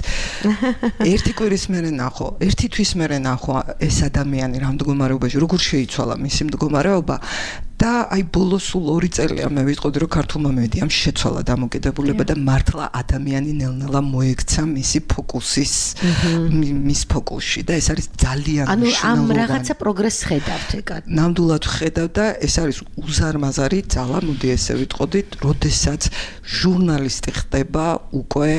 ერთი კვირის მერე ნახო, ერთი თვის მერე ნახო ეს ადამიანი რა მდგომარეობაში, როგორ შეიცვალა მისი მდგომარეობა და აი ბოლოს სულ ორი წელია მე ვიტყოდი, რომ ქართულმა მედიამ შეცვალა დამოკიდებულება და მართლა ადამიანი ნელ-ნელა მოექცა მისი ფოკუსის მის ფოკუსში და ეს არის ძალიან მნიშვნელოვანი. ანუ ამ რაღაცა პროგრესს ხედავთ ეგად. ნამდვილად ხედავ და ეს არის უზარმაზარი ძალა, მოდი ესე ვიტყოდით, როდესაც ჟურნალისტი ხდება უკვე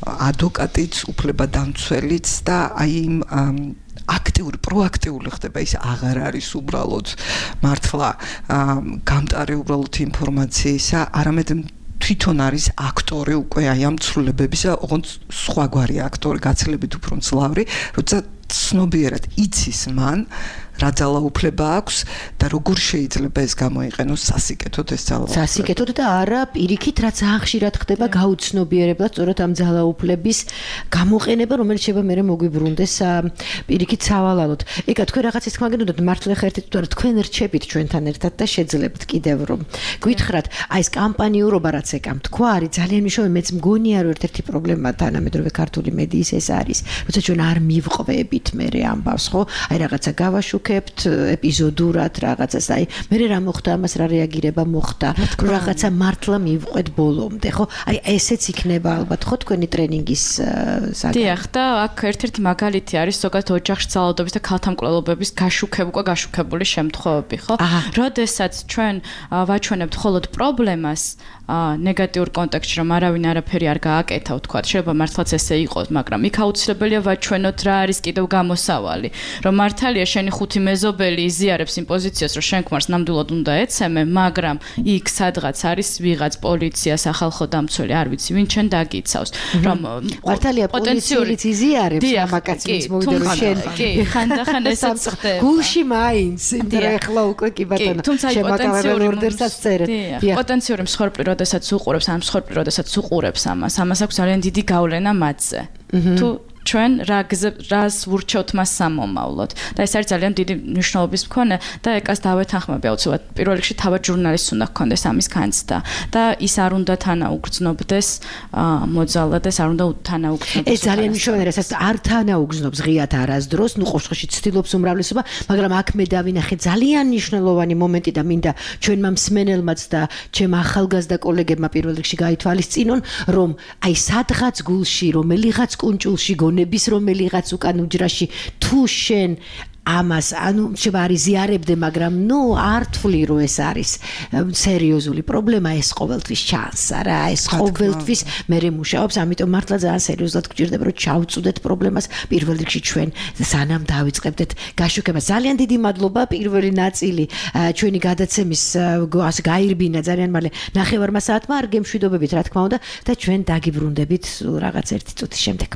ადვოკატიც, უფლებადამცველიც და აი იმ აქტიური, პროაქტიული ხდება, ის აღარ არის უბრალოდ მართლა გამტარი უბრალოდ ინფორმაციისა, არამედ თვითონ არის აქტორი უკვე აი ამ ცვლილებებისა, ოღონდ სხვაგვარი აქტორი, გაცილებით უფრო მძლავრი, როცა ცნობიერად იცის მან რა ძალაუფლება აქვს და როგორ შეიძლება ეს გამოიყენოს სასიკეთოდ ეს ძალაუფლება. სასიკეთოდ და არა პირიქით, რაც ახშირად ხდება გაუცნობიერებლად, სწორედ ამ ძალაუფლების გამოყენება, რომელიც შეიძლება მერე მოგვიბრუნდეს პირიქით სავალალოდ. ეკა თქვენ რაღაცის თქმა გინდათ, მართლა ხერთით თუ არა თქვენ რჩებით ჩვენთან ერთად და შეძლებთ კიდევ რომ გვითხრათ, აი ეს კამპანიურობა რაც ეკამ თქვა არის ძალიან მნიშვნელოვანი, მეც მგონია რომ ერთ-ერთი პრობლემა თანამედროვე ქართული მედიის ეს არის, როცა ჩვენ არ მივყვებით მერე ამბავს, ხო? აი რაღაცა გავაშუქებ ვშუქებთ ეპიზოდურად რაღაცას, აი მე რა მოხდა, ამას რა რეაგირება მოხდა, რაღაცა მართლა მივყვეთ ბოლომდე, ხო? აი ესეც იქნება ალბათ ხო თქვენი ტრენინგის საგანი. დიახ, და აქ ერთ-ერთი მაგალითი არის ზოგადად ოჯახში ძალადობის და ქალთა მკვლელობების გაშუქებ უკვე გაშუქებული შემთხვევები, ხო? როდესაც ჩვენ ვაჩვენებთ მხოლოდ პრობლემას ნეგატიურ კონტექსტში, რომ არავინ არაფერი არ გააკეთა, ვთქვათ, შეიძლება მართლაც ესე იყოს, მაგრამ იქ აუცილებელია ვაჩვენოთ რა არის კიდევ გამოსავალი, რომ მართალია შენი ხუთი მეზობელი იზიარებს იმ პოზიციას, რომ შენ ქმარს ნამდვილად უნდა ეცემე, მაგრამ იქ სადღაც არის ვიღაც პოლიცია, სახალხო დამცველი, არ ვიცი, ვინ ჩვენ დაგიცავს, რომ მართალია პოლიციაც იზიარებს მამაკაცს, ვინც მოვიდა რომ შენ კი, ხანდახან ესეც ხდება. გულში მაინც, იმიტომ ახლა უკვე კი ბატონო, შემაკავებელ ორდერსაც წერეთ. პოტენციური მსხვერპლი როდესაც უყურებს, ან მსხვერპლი როდესაც უყურებს ამას, ამას აქვს ძალიან დიდი გავლენა მათზე. თუ ჩვენ რას ვურჩევთ მას სამომავლოდ და ეს არის ძალიან დიდი მნიშვნელობის მქონე და ეკას დავეთანხმები აუცილებლად პირველ რიგში თავად ჟურნალისტს უნდა ჰქონდეს ამის განცდა და ის არ უნდა თანაუგრძნობდეს მოძალადეს, არ უნდა თანაუგრძნობდეს. ეს ძალიან მნიშვნელოვანია, რასაც არ თანაუგრძნობს ღიად არასდროს, ნუ ყოველში ცდილობს უმრავლესობა, მაგრამ აქ მე დავინახე ძალიან მნიშვნელოვანი მომენტი და მინდა ჩვენმა მსმენელმაც და ჩემ ახალგაზრდა კოლეგებმა პირველ რიგში გაითვალისწინონ, რომ აი სადღაც გულში, რომელიღაც კუნჭულში ნების რომელიღაც უკან უჯრაში თუ შენ ამას ანუ შეიძლება არის ზიარებდე, მაგრამ ნუ არ თვლი რომ ეს არის სერიოზული პრობლემა, ეს ყოველთვის ჩანს რა, ეს ყოველთვის მერე მუშაობს, ამიტომ მართლა ძალიან სერიოზულად გვჭირდება რომ ჩავწუდეთ პრობლემას პირველ რიგში ჩვენ სანამ დავიწყებდეთ გაშუქებას. ძალიან დიდი მადლობა, პირველი ნაწილი ჩვენი გადაცემის ასე გაირბინა ძალიან მალე ნახევარმა საათმა, არ გემშვიდობებით რა თქმა უნდა და ჩვენ დაგიბრუნდებით რაღაც ერთი წუთის შემდეგ.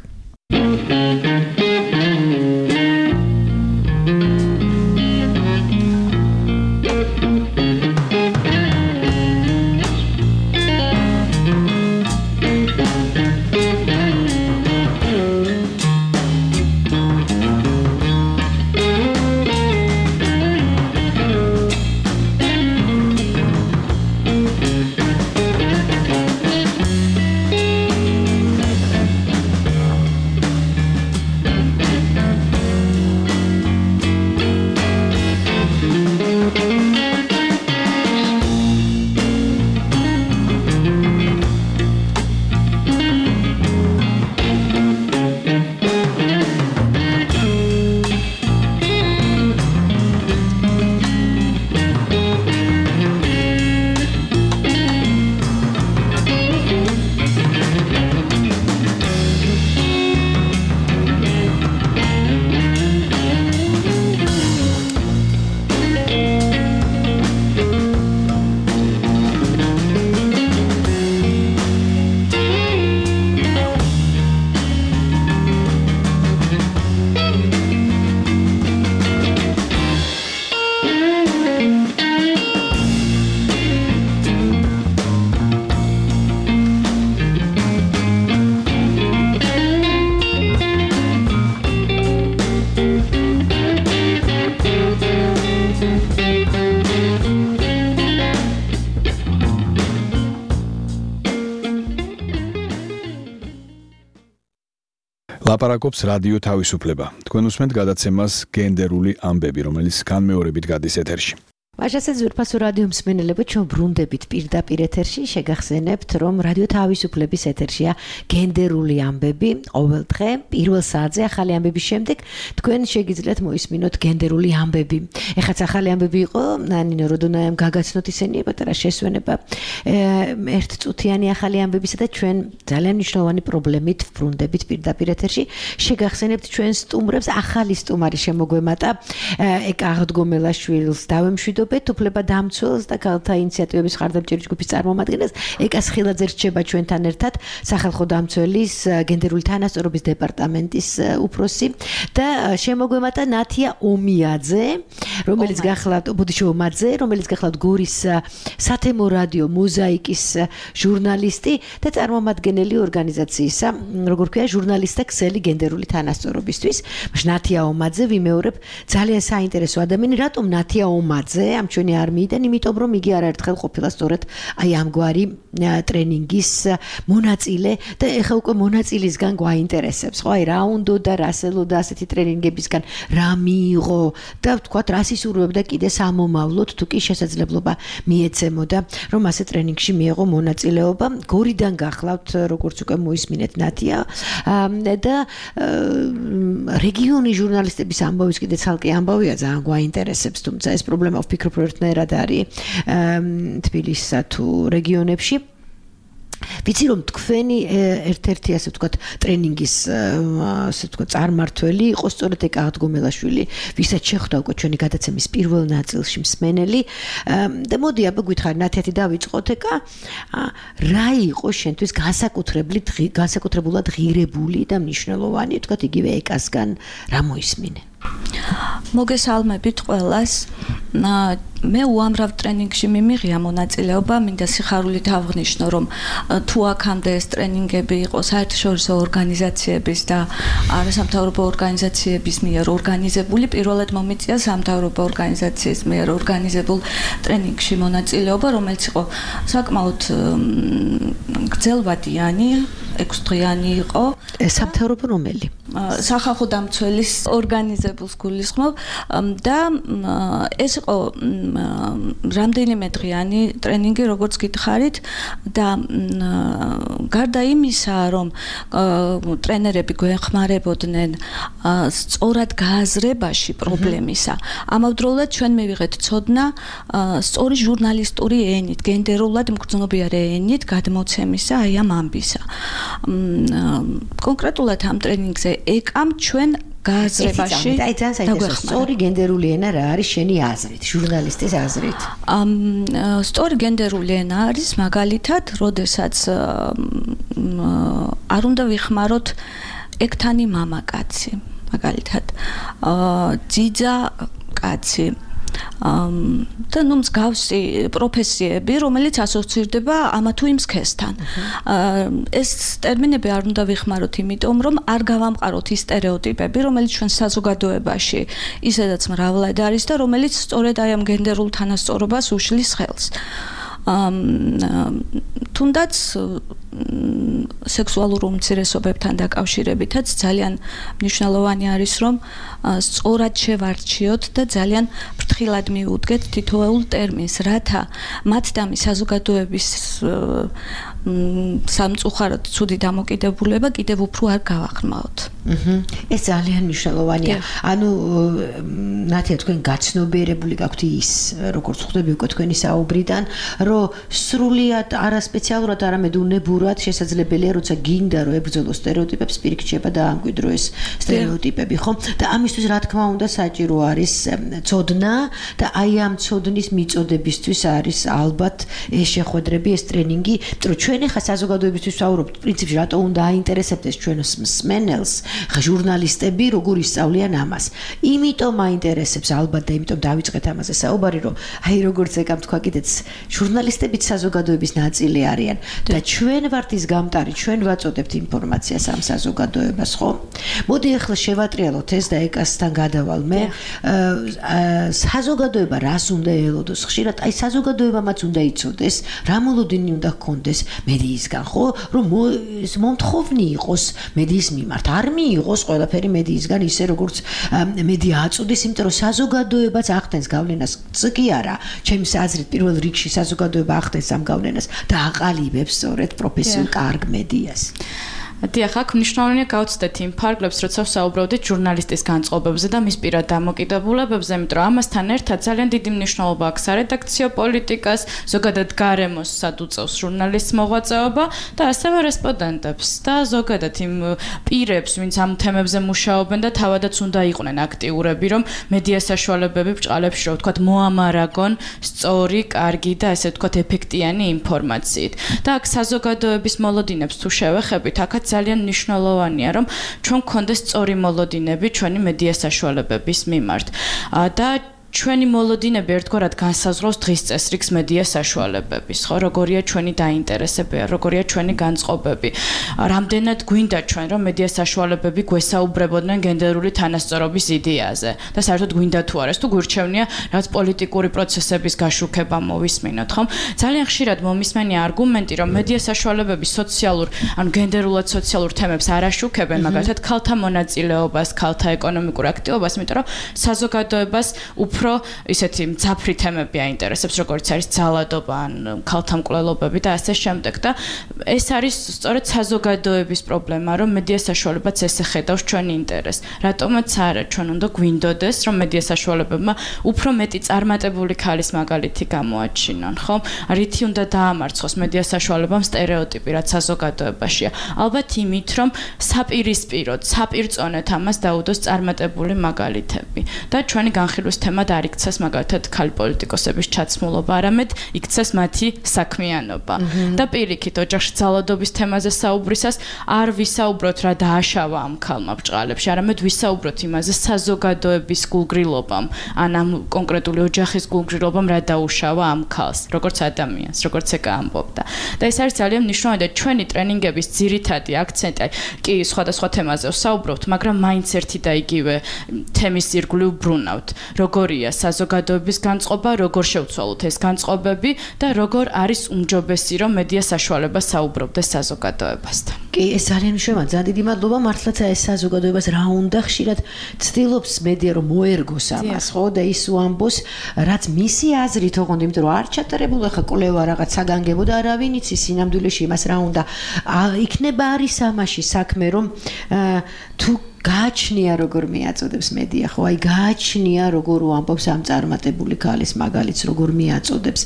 ლაპარაკობს რადიო თავისუფლება. თქვენ უსმენთ გადაცემას გენდერული ამბები, რომელიც განმეორებით გადის ეთერში. ვაჟასაც ზურფასო რადიო მსმენელებო, ჩვენ ბრუნდებით პირდაპირ ეთერში, შეგახსენებთ, რომ რადიო თავისუფლების ეთერშია გენდერული ამბები, ყოველ დღე პირველ საათზე ახალი ამბების შემდეგ თქვენ შეგიძლიათ მოისმინოთ გენდერული ამბები. ეხაც ახალი ამბები იყო, ნინო როდონაიამ გაგაცნოთ ისინი პატარა შესვენება ერთწუთიანი ახალი ამბებისა და ჩვენ ძალიან მნიშვნელოვანი პრობლემით ბრუნდებით პირდაპირ ეთერში. შეგახსენებთ ჩვენ სტუმრებს, ახალი სტუმარი შემოგვემატა, ეკა აღდგომელაშვილს დავემშვიდობ უფლება დამცველს და ქალთა ინიციატივების ხარდამჭერი ჯგუფის წარმომადგენელს ეკას ხილაძე რჩება ჩვენთან ერთად, სახალხო დამცველის გენდერული თანასწორობის დეპარტამენტის უფროსი და შემოგვემატა ნათია ომიაძე, რომელიც გახლავთ ბოდიშო ომაძე, რომელიც გახლავთ გორის სათემო რადიო მოზაიკის ჟურნალისტი და წარმომადგენელი ორგანიზაციისა, როგორ ქვია, ჟურნალისტთა ქსელი გენდერული თანასწორობისთვის. ნათია ომაძე ვიმეორებ, ძალიან საინტერესო ადამიანი, რატომ ნათია ომაძე ამ ჩვენი არმიიდან, იმიტომ რომ იგი არაერთხელ ყოფილა სწორედ აი ამგვარი ტრენინგის მონაწილე და ეხლა უკვე მონაწილისგან გვაინტერესებს, ხო, აი რა უნდა და რასელოდა ასეთი ტრენინგებისგან, რა მიიღო და ვთქვათ, რა სისურვებდა კიდე სამომავლოდ, თუ კი შესაძლებლობა მიეცემოდა, რომ ასე ტრენინგში მიიღო მონაწილეობა. გორიდან გახლავთ, როგორც უკვე მოისმინეთ ნათია და რეგიონის ჟურნალისტების ამბავიც კიდე ცალკე ამბავია, ძალიან გვაინტერესებს, თუმცა ეს პრობლემა ვფიქრობ, რომ ერთნაირად არის თბილისსა თუ რეგიონებში. ვიცი რომ თქვენი ერთ-ერთი ასე ვთქვათ ტრენინგის ასე ვთქვათ წარმართველი იყო სწორედ ეკა აღდგომელაშვილი, ვისაც შეხვდა უკვე ჩვენი გადაცემის პირველ ნაწილში მსმენელი და მოდი აბა გითხარი ნათეთი დავიწყოთ ეკა რა იყო შენთვის განსაკუთრებლად განსაკუთრებულად ღირებული და მნიშვნელოვანი ვთქვათ იგივე ეკასგან რა მოისმინე? მოგესალმებით ყველას. მე უამრავ ტრენინგში მიმიღია მონაწილეობა, მინდა სიხარულით აღვნიშნო, რომ თუ აქამდე ეს ტრენინგები იყო საერთაშორისო ორგანიზაციების და არასამთავრობო ორგანიზაციების მიერ ორგანიზებული, პირველად მომიწია სამთავრობო ორგანიზაციის მიერ ორგანიზებულ ტრენინგში მონაწილეობა, რომელიც იყო საკმაოდ გრძელვადიანი, ექვსდღიანი იყო. სამთავრობო რომელი? სახალხო დამცველის ორგანიზებულს გულისხმობ და ეს იყო რამდენიმე დღიანი ტრენინგი, როგორც გითხარით და გარდა იმისა, რომ ტრენერები გვეხმარებოდნენ სწორად გააზრებაში პრობლემისა, ამავდროულად ჩვენ მივიღეთ ცოდნა სწორი ჟურნალისტური ენით, გენდერულად მგრძნობიარე ენით გადმოცემისა აი ამ ამბისა. კონკრეტულად ამ ტრენინგზე ეკამ ჩვენ გააზრებაში აი ძალიან საინტერესო სწორი გენდერული ენა რა არის შენი აზრით, ჟურნალისტის აზრით? ამ სწორი გენდერული ენა არის მაგალითად, როდესაც არ უნდა ვიხმაროთ ეკთანი მამაკაცი, მაგალითად ძიძა კაცი და ნუ მსგავსი პროფესიები, რომელიც ასოცირდება ამა თუ იმ სქესთან. ეს ტერმინები არ უნდა ვიხმაროთ, იმიტომ რომ არ გავამყაროთ ის სტერეოტიპები, რომელიც ჩვენ საზოგადოებაში ისედაც მრავლად არის და რომელიც სწორედ აი ამ გენდერულ თანასწორობას უშლის ხელს. თუნდაც სექსუალურ უმცირესობებთან დაკავშირებითაც ძალიან მნიშვნელოვანი არის, რომ სწორად შევარჩიოთ და ძალიან ფრთხილად მიუდგეთ თითოეულ ტერმინს, რათა მათ და მის საზოგადოების სამწუხაროდ ცუდი დამოკიდებულება კიდევ უფრო არ გავაღრმაოთ. ეს ძალიან მნიშვნელოვანია. ანუ ნათია თქვენ გაცნობიერებული გაქვთ ის, როგორც ხვდები უკვე თქვენი საუბრიდან, რომ სრულიად არასპეციალურად, არამედ უნებურად შესაძლებელია, როცა გინდა რომ ებრძოლო სტერეოტიპებს, პირიქჩება და ამკვიდრო ეს სტერეოტიპები, ხო? და ამისთვის რა თქმა უნდა საჭირო არის ცოდნა და აი ამ ცოდნის მიწოდებისთვის არის ალბათ ეს შეხვედრები, ეს ტრენინგი, იმიტომ რომ ჩვენ ახლა საზოგადოებისთვის ვსაუბრობთ, პრინციპში რატო უნდა აინტერესებდეს ჩვენს მსმენელს ჟურნალისტები როგორ ისწავლიან ამას. იმიტომ აინტერესებს ალბათ და იმიტომ დავიწყეთ ამაზე საუბარი, რომ აი როგორც ეკამ თქვა კიდეც ჟურნალისტებიც საზოგადოების ნაწილი არიან და ჩვენ ვართ ის გამტარი, ჩვენ ვაწოდებთ ინფორმაციას ამ საზოგადოებას, ხო? მოდი ახლა შევატრიალოთ ეს და ეკასთან გადავალ მე. საზოგადოება რას უნდა ელოდოს? ხშირად აი საზოგადოებამაც უნდა იცოდეს, რა მოლოდინი უნდა ჰქონდეს მედიისგან, ხო? რომ მომთხოვნი იყოს მედიის მიმართ. არ მიიღოს ყველაფერი მედიისგან ისე როგორც მედია აწოდეს, იმიტომ რომ საზოგადოებაც ახდენს გავლენას, კი არა, ჩემს აზრით პირველ რიგში საზოგადოება ახდენს ამ გავლენას და აყალიბებს სწორედ პროფესიულ კარგ მედიას. დიახ, აქ მნიშვნელოვანია გავცდეთ იმ ფარგლებს, როცა ვსაუბრობდით ჟურნალისტის განწყობებზე და მის პირად დამოკიდებულებებზე, იმიტომ რომ ამასთან ერთად ძალიან დიდი მნიშვნელობა აქვს სარედაქციო პოლიტიკას, ზოგადად გარემოსაც უწევს ჟურნალისტს მოღვაწეობა და ასევე რესპონდენტებს და ზოგადად იმ პირებს, ვინც ამ თემებზე მუშაობენ და თავადაც უნდა იყვნენ აქტიურები, რომ მედია საშუალებები ბრჭყალებში, რომ ვთქვათ, მოამარაგონ სწორი, კარგი და ესე ვთქვათ, ეფექტიანი ინფორმაციით. და აქ საზოგადოების მოლოდინებს თუ შევეხებით, აქაც ძალიან მნიშვნელოვანია, რომ ჩვენ გქონდეს სწორი მოლოდინები ჩვენი მედია საშუალებების მიმართ. და ჩვენი მოლოდინები ერთგვარად განსაზღვრავს დღის წესრიგს მედია საშუალებების, ხო, როგორია ჩვენი დაინტერესებები, როგორია ჩვენი განწყობები. რამდენად გვინდა ჩვენ რომ მედია საშუალებები გვესაუბრებოდნენ გენდერული თანასწორობის იდეაზე და საერთოდ გვინდა თუ არა, თუ გვირჩევნია რაღაც პოლიტიკური პროცესების გაშუქება მოვისმინოთ, ხო? ძალიან ხშირად მომისმენია არგუმენტი, რომ მედია საშუალებები სოციალურ, ანუ გენდერულად სოციალურ თემებს არ აშუქებენ, მაგალითად, ქალთა მონაწილეობას, ქალთა ეკონომიკურ აქტივობას, იმიტომ რომ საზოგადოებას უფრო ისეთი მძაფრი თემები აინტერესებს, როგორც არის ძალადობა, ან ქალთა მკვლელობები და ასე შემდეგ და ეს არის სწორედ საზოგადოების პრობლემა, რომ მედია საშუალებაც ესე ხედავს ჩვენ ინტერესს. რატომაც არა, ჩვენ უნდა გვინდოდეს, რომ მედია საშუალებებმა უფრო მეტი წარმატებული ქალის მაგალითი გამოაჩინონ, ხო? რითი უნდა დაამარცხოს მედია საშუალებამ სტერეოტიპი, რაც საზოგადოებაშია. ალბათ იმით, რომ საპირისპიროდ, საპირწონეთ ამას დაუდოს წარმატებული მაგალითები და ჩვენი განხილვის თემად არ იქცეს მაგალითად ქალი პოლიტიკოსების ჩაცმულობა, არამედ იქცეს მათი საქმიანობა. და პირიქით, ოჯახში ძალადობის თემაზე საუბრისას არ ვისაუბროთ რა დააშავა ამ ქალმა ბრჭყალებში, არამედ ვისაუბროთ იმაზე საზოგადოების გულგრილობამ, ან ამ კონკრეტული ოჯახის გულგრილობამ რა დაუშავა ამ ქალს, როგორც ადამიანს, როგორც ეკა ამბობდა. და ეს არის ძალიან მნიშვნელოვანი და ჩვენი ტრენინგების ძირითადი აქცენტი, კი სხვადასხვა თემაზე ვსაუბრობთ, მაგრამ მაინც ერთი და იგივე თემის ირგვლივ ბრუნავთ. როგორია საზოგადოების განწყობა, როგორ შევცვალოთ ეს განწყობები და როგორ არის უმჯობესი, რომ მედია საშუალება საუბრობდეს საზოგადოებასთან. კი, ეს ძალიან მნიშვნელოვანია. ძალიან დიდი მადლობა. მართლაც ეს საზოგადოებას რა უნდა ხშირად ცდილობს მედია რომ მოერგოს ამას, ხო? და ის უამბოს, რაც მისი აზრით ოღონდ, იმიტომ რომ არ ჩატარებულა ხა კვლევა რაღაც საგანგებო და არავინ იცის სინამდვილეში იმას რა უნდა. იქნება არის ამაში საქმე, რომ თუ გააჩნია როგორ მიაწოდებს მედია, ხო? აი გააჩნია როგორ უამბობს ამ წარმატებული ქალის მაგალითს, როგორ მიაწოდებს.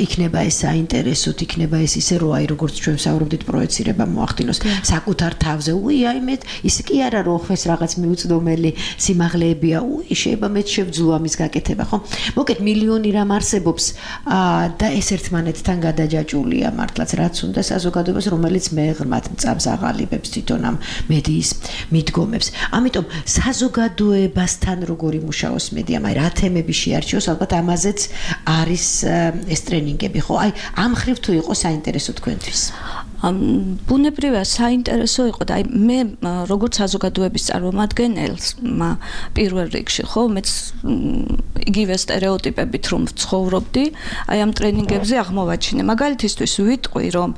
იქნება ეს საინტერესოდ, იქნება ეს ისე რომ აი როგორც ჩვენ ვსაუბრობდით პროექცირება მოახდინოს საკუთარ თავზე. უი, აი მე ის კი არა რომ ხეს რაღაც მიუწვდომელი სიმაღლეებია. უი, შეიძლება მე შევძლო ამის გაკეთება, ხო? მოკეთ მილიონი რამ არსებობს და ეს ერთმანეთთან გადაჯაჭულია მართლაც რაც უნდა საზოგადოებას, რომელიც მეღრმად მწამს აღალიბებს თვითონ ამ მედიის მიდგომებს. ამიტომ საზოგადოებასთან როგორი მუშაობს მედია, აი რა თემები შეარჩიოს, ალბათ ამაზეც არის ეს ტრენინგები, ხო? აი ამ ხრივ თუ იყო საინტერესო თქვენთვის. ბუნებრივია საინტერესო იყო და აი მე როგორც საზოგადოების წარმომადგენელს პირველ რიგში, ხო, მეც იგივე სტერეოტიპებით რომ ვცხოვრობდი, აი ამ ტრენინგებზე აღმოვაჩინე. მაგალითისთვის ვიტყვი, რომ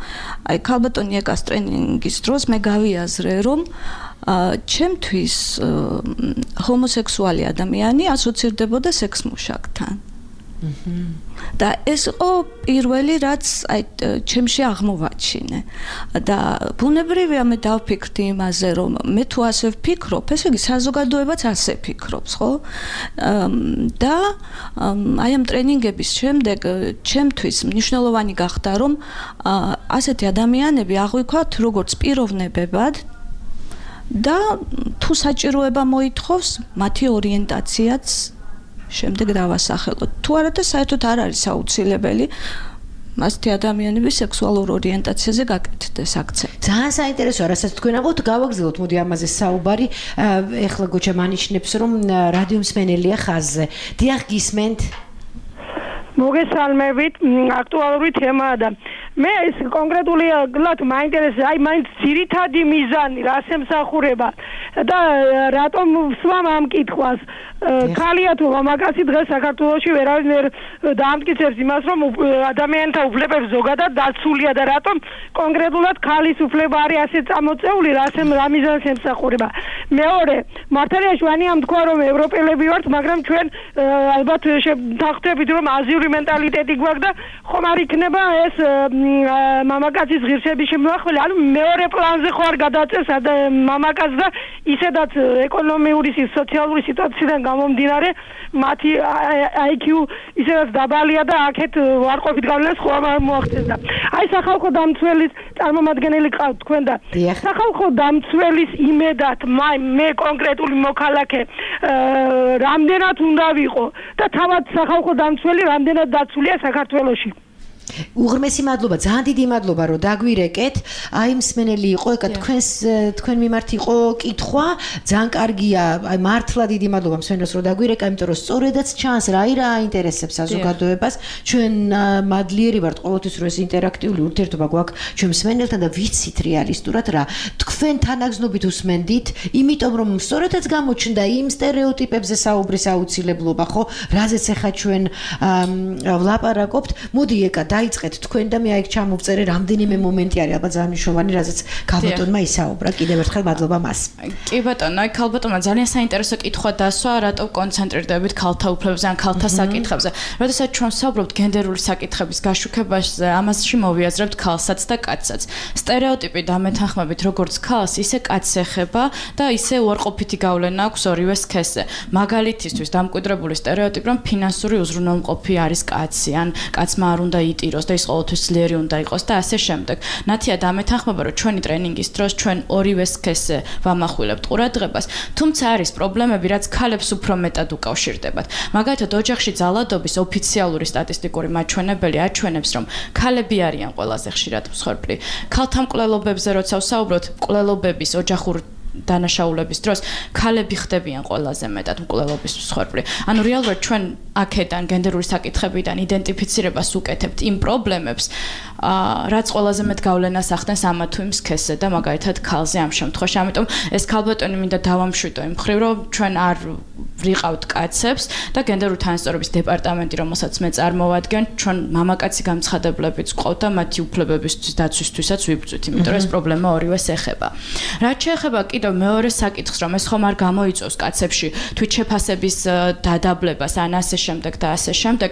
აი ქალბატონი ეკას ტრენინგის დროს მე გავიაზრე, რომ ჩემთვის ჰომოსექსუალი ადამიანი ასოცირდებოდა სექს მუშაკთან. და ეს იყო პირველი რაც აი ჩემში აღმოვაჩინე და ბუნებრივია მე დავფიქრდი იმაზე რომ მე თუ ასე ვფიქრობ, ესე იგი საზოგადოებაც ასე ფიქრობს, ხო? და აი ამ ტრენინგების შემდეგ ჩემთვის მნიშვნელოვანი გახდა რომ ასეთი ადამიანები აღვიქვათ როგორც პიროვნებებად და თუ საჭიროება მოითხოვს მათი ორიენტაციაც შემდეგ დავასახელოთ. თუ არა და საერთოდ არ არის აუცილებელი მასეთი ადამიანების სექსუალურ ორიენტაციაზე გაკეთდეს აქცენტი. ძალიან საინტერესოა, რასაც თქვენ ამბობთ, გავაგზავნოთ მოდი ამაზე საუბარი. ეხლა გოჩა მანიშნებს რომ რადიო მსმენელია ხაზზე. დიახ, გისმენთ? მოგესალმებით, აქტუალური თემაა და მე ეს კონკრეტულად მაინტერესებს, აი მაინც ძირითადი მიზანი რას ემსახურება და რატომ ვსვამ ამ კითხვას. ქალია თუ მამაკაცი დღეს საქართველოში ვერავინ ვერ დაამტკიცებს იმას, რომ ადამიანთა უფლებებს ზოგადად დაცულია და რატომ კონკრეტულად ქალის უფლება არის ასე წამოწეული, რას რა მიზანს ემსახურება. მეორე, მართალია შვანი ამ თქვა რომ ევროპელები ვართ, მაგრამ ჩვენ ალბათ შევთანხმდებით რომ აზიური მენტალიტეტი გვაქვს და ხომ არ იქნება ეს მამაკაცის ღირსების შემოხვალე, ანუ მეორე პლანზე ხო არ გადაწევს მამაკაც და ისედაც ეკონომიური, სოციალური სიტუაციიდან გამომდინარე მათი აი კიუ ისედაც დაბალია და აქეთ ვარყოფით გავლენას ხო არ მოახდენს და აი სახალხო დამცველის წარმომადგენელი ყავთ თქვენ და სახალხო დამცველის იმედად მე კონკრეტული მოქალაქე რამდენად უნდა ვიყო და თავად სახალხო დამცველი რამდენად დაცულია საქართველოში. უღრმესი მადლობა, ძალიან დიდი მადლობა, რომ დაგვირეკეთ. აი მსმენელი იყო, ეკა თქვენს თქვენ მიმართ იყო კითხვა, ძალიან კარგია. აი მართლა დიდი მადლობა მსმენელს, რომ დაგვირეკა, იმიტომ რომ სწორედაც ჩანს რა ირა აინტერესებს საზოგადოებას. ჩვენ მადლიერი ვართ ყოველთვის, რომ ეს ინტერაქტიული ურთიერთობა გვაქვს ჩვენ მსმენელთან და ვიცით რეალისტურად რა. თქვენ თანაგზნობით უსმენდით, იმიტომ რომ სწორედაც გამოჩნდა იმ სტერეოტიპებზე საუბრის აუცილებლობა, ხო? რაზეც ახლა ჩვენ ვლაპარაკობთ. მოდი ეკა დაიწყეთ თქვენ და მე აი ჩამოვწერე რამდენიმე მომენტი არის ალბათ ძალიან მნიშვნელოვანი, რაზეც ქალბატონმა ისაუბრა. კიდევ ერთხელ მადლობა მას. კი ბატონო, აი ქალბატონმა ძალიან საინტერესო კითხვა დასვა, რატო კონცენტრირდებით ქალთა უფლებებზე ან ქალთა საკითხებზე. როდესაც ჩვენ ვსაუბრობთ გენდერული საკითხების გაშუქებაზე, ამასში მოვიაზრებთ ქალსაც და კაცსაც. სტერეოტიპი დამეთანხმებით როგორც ქალს, ისე კაცს ეხება და ისე უარყოფითი გავლენა აქვს ორივე სქესზე. მაგალითისთვის დამკვიდრებული სტერეოტიპი, რომ ფინანსური უზრუნველყოფი არის კაცი, ან კაცმა არ უნდა იტიროს და ის ყოველთვის ძლიერი უნდა იყოს და ასე შემდეგ. ნათია დამეთანხმება, რომ ჩვენი ტრენინგის დროს ჩვენ ორივე სქესზე ვამახვილებთ ყურადღებას, თუმცა არის პრობლემები, რაც ქალებს უფრო მეტად უკავშირდებათ. მაგალითად, ოჯახში ძალადობის ოფიციალური სტატისტიკური მაჩვენებელი აჩვენებს, რომ ქალები არიან ყველაზე ხშირად მსხვერპლი. ქალთა მკვლელობებზე როცა ვსაუბრობთ, მკვლელობების ოჯახურ დანაშაულების დროს ქალები ხდებიან ყველაზე მეტად მკვლელობის მსხვერპლი. ანუ რეალურად ჩვენ აქედან გენდერული საკითხებიდან იდენტიფიცირებას უკეთებთ იმ პრობლემებს, რაც ყველაზე მეტ გავლენას ახდენს ამა თუ იმ სქესზე და მაგალითად ქალზე ამ შემთხვევაში. ამიტომ ეს ქალბატონი მინდა დავამშვიდო იმ მხრივ, რომ ჩვენ არ ვიყავთ კაცებს და გენდერული თანასწორობის დეპარტამენტი, რომელსაც მე წარმოვადგენ, ჩვენ მამაკაცი გამცხადებლებიც გვყავთ და მათი უფლებებისთვის დაცვისთვისაც ვიბრძვით, იმიტომ რომ ეს პრობლემა ორივეს ეხება. რაც შეეხება კიდევ მეორე საკითხს, რომ ეს ხომ არ გამოიწვევს კაცებში თვითშეფასების დადაბლებას ან ასე შემდეგ და ასე შემდეგ.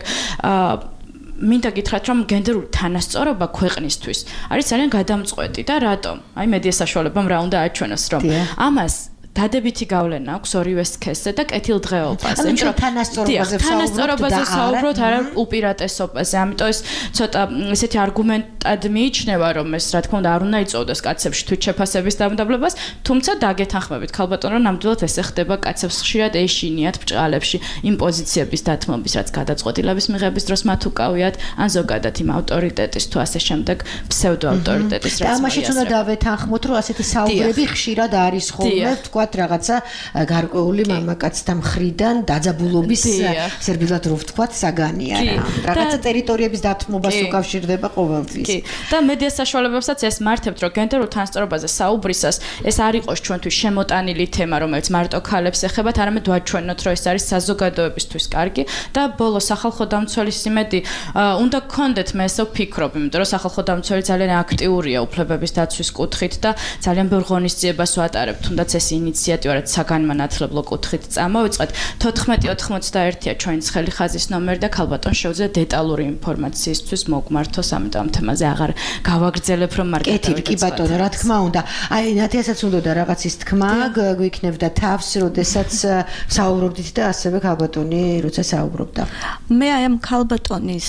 მინდა გითხრათ, რომ გენდერული თანასწორობა ქვეყნისთვის არის ძალიან გადამწყვეტი და რატომ? აი მედია საშუალებამ რა უნდა აჩვენოს, რომ ამას დადებითი გავლენა აქვს ორივე სქესზე და კეთილდღეობაზე. იმიტომ რომ თანასწორობაზე თანასწორობაზე საუბრობთ, არა უპირატესობაზე. ამიტომ ეს ცოტა ესეთი არგუმენტად მიიჩნევა, რომ ეს რა თქმა უნდა არ უნდა იწოვდეს კაცებში თვითშეფასების დამდაბლებას, თუმცა დაგეთანხმებით ქალბატონო, რომ ნამდვილად ესე ხდება კაცებს ხშირად ეშინიათ ბჭყალებში იმ პოზიციების დათმობის, რაც გადაწყვეტილების მიღების დროს მათ უკავიათ, ან ზოგადად იმ ავტორიტეტის თუ ასე შემდეგ ფსევდო ავტორიტეტის რაც. და ამაშიც უნდა დავეთანხმოთ, რომ ასეთი საუბრები ხშირად არის ხოლმე, თქვა რაღაცა გარკვეული მამაკაცთა მხრიდან დაძაბულობის სერბილად რო ვთქვათ საგანია რა. რაღაცა ტერიტორიების დათმობას უკავშირდება ყოველთვის. კი. და მედია საშუალებებსაც ეს მართებთ, რომ გენდერულ თანასწორობაზე საუბრისას ეს არ იყოს ჩვენთვის შემოტანილი თემა, რომელიც მარტო ქალებს ეხებათ, არამედ ვაჩვენოთ, რომ ეს არის საზოგადოებისთვის კარგი და ბოლოს სახალხო დამცველის იმედი უნდა გქონდეთ, მე ესე ვფიქრობ, იმიტომ რომ სახალხო დამცველი ძალიან აქტიურია უფლებების დაცვის კუთხით და ძალიან ბევრ ღონისძიებას ვატარებთ, თუნდაც ეს ინიციატივა რაც საგანმანათლებლო კუთხით წამოვიწყეთ. თოთხმეტი ოცდაერთია ჩვენი ცხელი ხაზის ნომერი და ქალბატონ შეუძლია დეტალური ინფორმაციისთვის მოგმართოს, ამიტომ ამ თემაზე აღარ გავაგრძელებ, რომ მარკეტინგი. კი ბატონო, რა თქმა უნდა. აი ნათიასაც უნდა რაღაცის თქმა გვიქნებდა თავს, როდესაც საუბრობდით და ასევე ქალბატონი როცა საუბრობდა. მე აი ამ ქალბატონის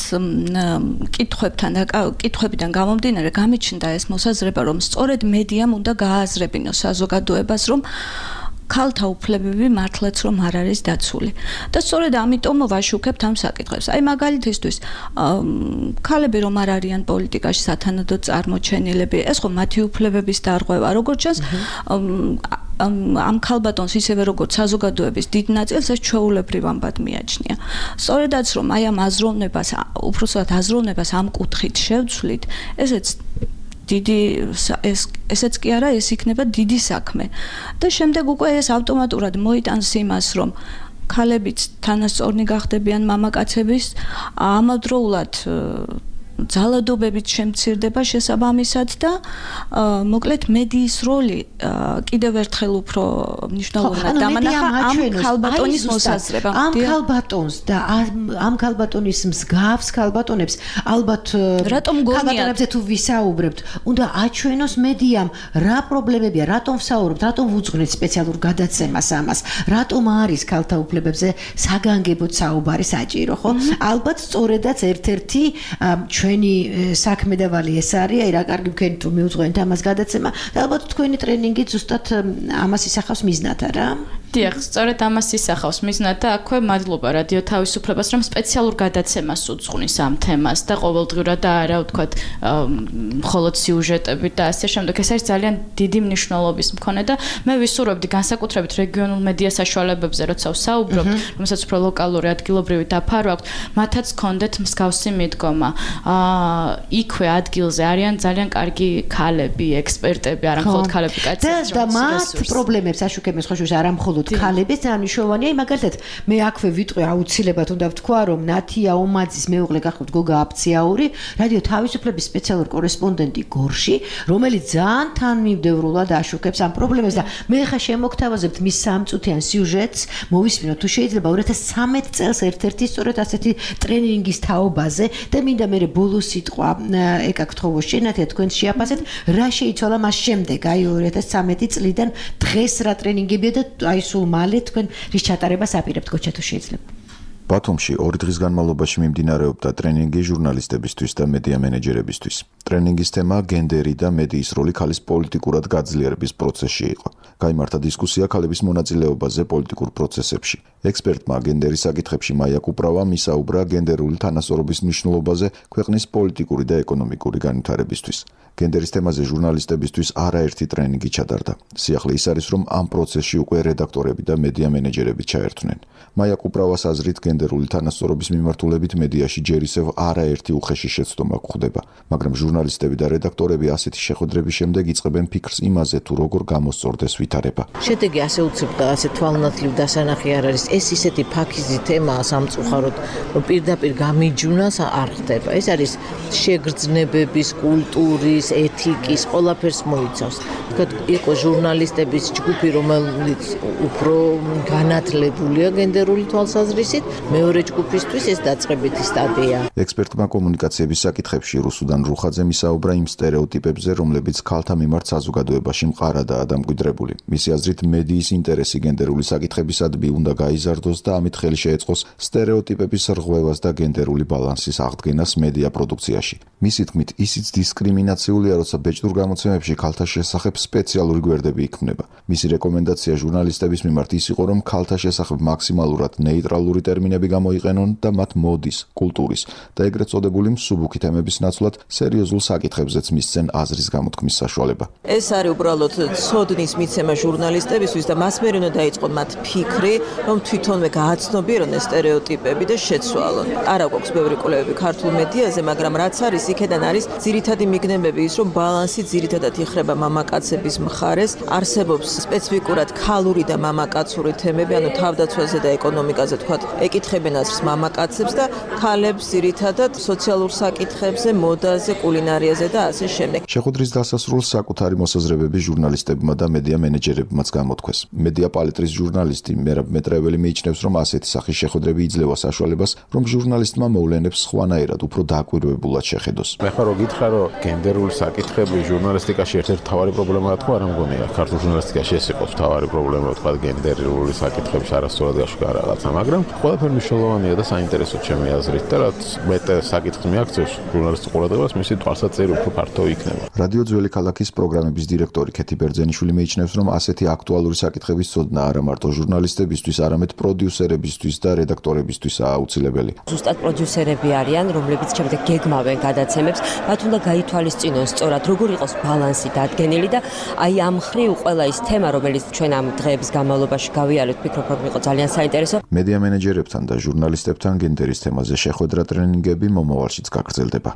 კითხვებთან და კითხვებიდან გამომდინარე გამიჩნდა ეს მოსაზრება, რომ სწორედ მედიამ უნდა გააზრებინოს საზოგადოებას, რომ ქალთა უფლებები მართლაც რომ არ არის დაცული. და სწორედ ამიტომ ვაშუქებთ ამ საკითხებს. აი მაგალითისთვის, ქალები რომ არ არიან პოლიტიკაში სათანადო წარმოჩენილები, ეს ხო მათი უფლებების დარღვევა, როგორც ჩანს, ამ ქალბატონს ისევე როგორც საზოგადოების დიდ ნაწილს ეს ჩვეულებრივ ამბად მიაჩნია. სწორედაც რომ აი ამ აზროვნებას, უпроსტად აზროვნებას ამ კუთხით შევცვლით, ესეც დიდი ეს ესეც კი არა, ეს იქნება დიდი საქმე. და შემდეგ უკვე ეს ავტომატურად მოიტანს იმას, რომ ქალებიც თანასწორნი გახდებიან მამაკაცების, ამავდროულად ძალადობებით შემცირდება შესაბამისად და მოკლედ მედიის როლი კიდევ ერთხელ უფრო მნიშვნელოვნად დამანახა ამ ქალბატონის მოსაზრება. ამ ქალბატონს და ამ ქალბატონის მსგავს ქალბატონებს ალბათ ქალბატონებზე თუ ვისაუბრებთ, უნდა აჩვენოს მედიამ რა პრობლემებია, რატომ ვსაუბრობთ, რატომ ვუძღვნით სპეციალურ გადაცემას ამას, რატომ არის ქალთა უფლებებზე საგანგებოდ საუბარი საჭირო, ხო? ალბათ სწორედაც ერთ-ერთი ჩვენი საქმე და ვალი ეს არის, აი რა კარგი ვქენით რომ მიუძღვენთ ამას გადაცემა და ალბათ თქვენი ტრენინგი ზუსტად ამას ისახავს მიზნად, არა? დიახ, სწორედ ამას ისახავს მიზნად და აქვე მადლობა რადიო თავისუფლებას, რომ სპეციალურ გადაცემას უძღვნის ამ თემას და ყოველდღიურად და არა ვთქვათ მხოლოდ სიუჟეტებით და ასე შემდეგ. ეს არის ძალიან დიდი მნიშვნელობის მქონე და მე ვისურვებდი განსაკუთრებით რეგიონულ მედია საშუალებებზე, როცა ვსაუბრობ, რომელსაც უფრო ლოკალური ადგილობრივი დაფარო აქვს, მათაც ჰქონდეთ მსგავსი მიდგომა. აა იქვე ადგილზე არიან ძალიან კარგი ქალები, ექსპერტები, არა მხოლოდ ქალები, კაცები. და მათ პრობლემებს აშუქებენ ხოშუშ არა მხოლოდ ქალების ძალიან მნიშვნელოვანია, მაგალითად მე აქვე ვიტყვი აუცილებლად უნდა ვთქვა, რომ ნათია ომაძის მეუღლე გახლავთ გოგა აფციაური, რადიო თავისუფლების სპეციალური კორესპონდენტი გორში, რომელიც ძალიან თანმიმდევრულად აშუქებს ამ პრობლემებს და მე ხა შემოგთავაზებთ მის სამწუთიან სიუჟეტს, მოვისმინოთ თუ შეიძლება ორი ათას ცხრამეტ წელს ერთ-ერთი სწორედ ასეთი ტრენინგის თაობაზე და მინდა მე ბოლო სიტყვა ეკაკთხოვოს შენათია თქვენ შეაფასეთ, რა შეიცვალა მას შემდეგ, აი ორი ათას ცხრამეტი წლიდან დღეს რა ტრენინგებია და აი სულ მალე თქვენ რის ჩატარებას აპირებთ გოჩა თუ შეიძლება. ბათუმში ორი დღის განმავლობაში მიმდინარეობდა ტრენინგი ჟურნალისტებისთვის და მედია მენეჯერებისთვის. ტრენინგის თემა გენდერი და მედიის როლი ქალის პოლიტიკურად გაძლიერების პროცესში იყო. გაიმართა დისკუსია ქალების მონაწილეობაზე პოლიტიკურ პროცესებში. ექსპერტმა გენდერის საკითხებში მაია კუპრავა მისაუბრა გენდერული თანასწორობის მნიშვნელობაზე ქვეყნის პოლიტიკური და ეკონომიკური განვითარებისთვის. გენდერის თემაზე ჟურნალისტებისთვის არაერთი ტრენინგი ჩატარდა. სიახლე ის არის, რომ ამ პროცესში უკვე რედაქტორები და მედია მენეჯერები ჩაერთვნენ. მაია კუპრავას აზრით გენდერული თანასწორობის მიმართულებით მედიაში ჯერ ისევ არაერთი უხეში შეცდომა გვხდება, მაგრამ ჟურნალისტები და რედაქტორები ასეთი შეხვედრების შემდეგ იწყებენ ფიქრს იმაზე, თუ როგორ გამოსწორდეს ვითარება. შედეგი ასე უცებ და ასე თვალნათლივ დასანახი არ არის. ეს ისეთი ფაქიზი თემაა სამწუხაროდ, რომ პირდაპირ გამიჯვნას არ ხდება. ეს არის შეგრძნებების, კულტურის, ეთიკის, ყველაფერს მოიცავს. თქვათ, იყო ჟურნალისტების ჯგუფი, რომელიც უფრო განათლებულია გენდერული თვალსაზრისით, მეორე ჯგუფისთვის ეს დაწყებითი სტადია. ექსპერტმა კომუნიკაციების საკითხებში რუსუდან რუხაძე მისაუბრა იმ სტერეოტიპებზე, რომლებიც ქალთა მიმართ საზოგადოებაში მყარადაა დამკვიდრებული. მისი აზრით, მედიის ინტერესი გენდერული საკითხებისადმი უნდა გაიზარდოს და ამით ხელი შეეწყოს სტერეოტიპების რღვევას და გენდერული ბალანსის აღდგენას მედია პროდუქციაში. მისი თქმით, ისიც დისკრიმინაციულია, როცა ბეჭდურ გამოცემებში ქალთა შესახებ სპეციალური გვერდები იქმნება. მისი რეკომენდაცია ჟურნალისტების მიმართ ის იყო, რომ ქალთა შესახებ მაქსიმალურად ნეიტრალური ტერმინები გამოიყენონ და მათ მოდის, კულტურის და ეგრეთ წოდებული მსუბუქი თემების ნაცვლად სერიოზულ საკითხებზეც მისცენ აზრის გამოთქმის საშუალება. ეს არის უბრალოდ ცოდნის მიცემა ჟურნალისტებისთვის და მას მერე უნდა დაიწყონ მათ ფიქრი, რომ თვითონვე გააცნობიერონ ეს სტერეოტიპები და შეცვალონ. არა გვაქვს ბევრი კვლევები ქართულ მედიაზე, მაგრამ რაც არის, იქედან არის ძირითადი მიგნებები ის, რომ ბალანსი ძირითადად იხრება მამაკაცების მხარეს, არსებობს სპეციფიკურად ქალური და მამაკაცური თემები, ანუ თავდაცვაზე და ეკონომიკაზე თქვათ, ეკითხებენ აზრს მამაკაცებს და ქალებს ძირითადად სოციალურ საკითხებზე, მოდაზე, კულინარიაზე და ასე შემდეგ. შეხვედრის დასასრულს საკუთარი მოსაზრებები ჟურნალისტებმა და მედია მენეჯერებმაც გამოთქვეს. მედია პალიტრის ჟურნალისტი მერაბ მეტრეველი მიიჩნევს, რომ ასეთი სახის შეხვედრები იძლევა საშუალებას, რომ ჟურნალისტმა მოვლენებს სხვანაირად, უფრო დაკვირვებულად შეხედოს. მე ხარო გითხრა, რომ გენდერული საკითხები ჟურნალისტიკაში ერთ-ერთი მთავარი პრობლემაა, თქო, არ მგონია. ქართულ ჟურნალისტიკაში ეს იყო მთავარი პრობლემა, თქვა გენდერული საკითხების არასწორად გაშუქება რაღაცა, მაგრამ ყველაფერი მნიშვნელოვანია და საინტერესო ჩემი აზრით და რაც მეტ საკითხს მიაქცევს ჟურნალისტის ყურადღებას, მისი თვალსაჩინო უფრო ფართო იქნება. რადიო ძველი ქალაქის პროგრამების დირექტორი ქეთი ბერძენიშვილი მიიჩნევს, რომ ასეთი აქტუალური საკითხების ცოდნა არა მარტო ჟურნალისტებისთვის, არამედ პროდიუსერებისთვის და რედაქტორებისთვისაა აუცილებელი. ზუსტად პროდიუსერები არიან, რომლებიც შემდეგ გეგმავენ გადაცემებს, მათ უნდა გაითვალისწინონ სწორად, როგორ იყოს ბალანსი დადგენილი და აი ამ მხრივ ყველა ის თემა, რომელიც ჩვენ ამ დღეების განმავლობაში გავიარეთ, ვფიქრობ, რომ იყო ძალიან საინტერესო. მედია მენეჯერებთან და ჟურნალისტებთან გენდერის თემაზე შეხვედრა ტრენინგები მომავალშიც გაგრძელდება.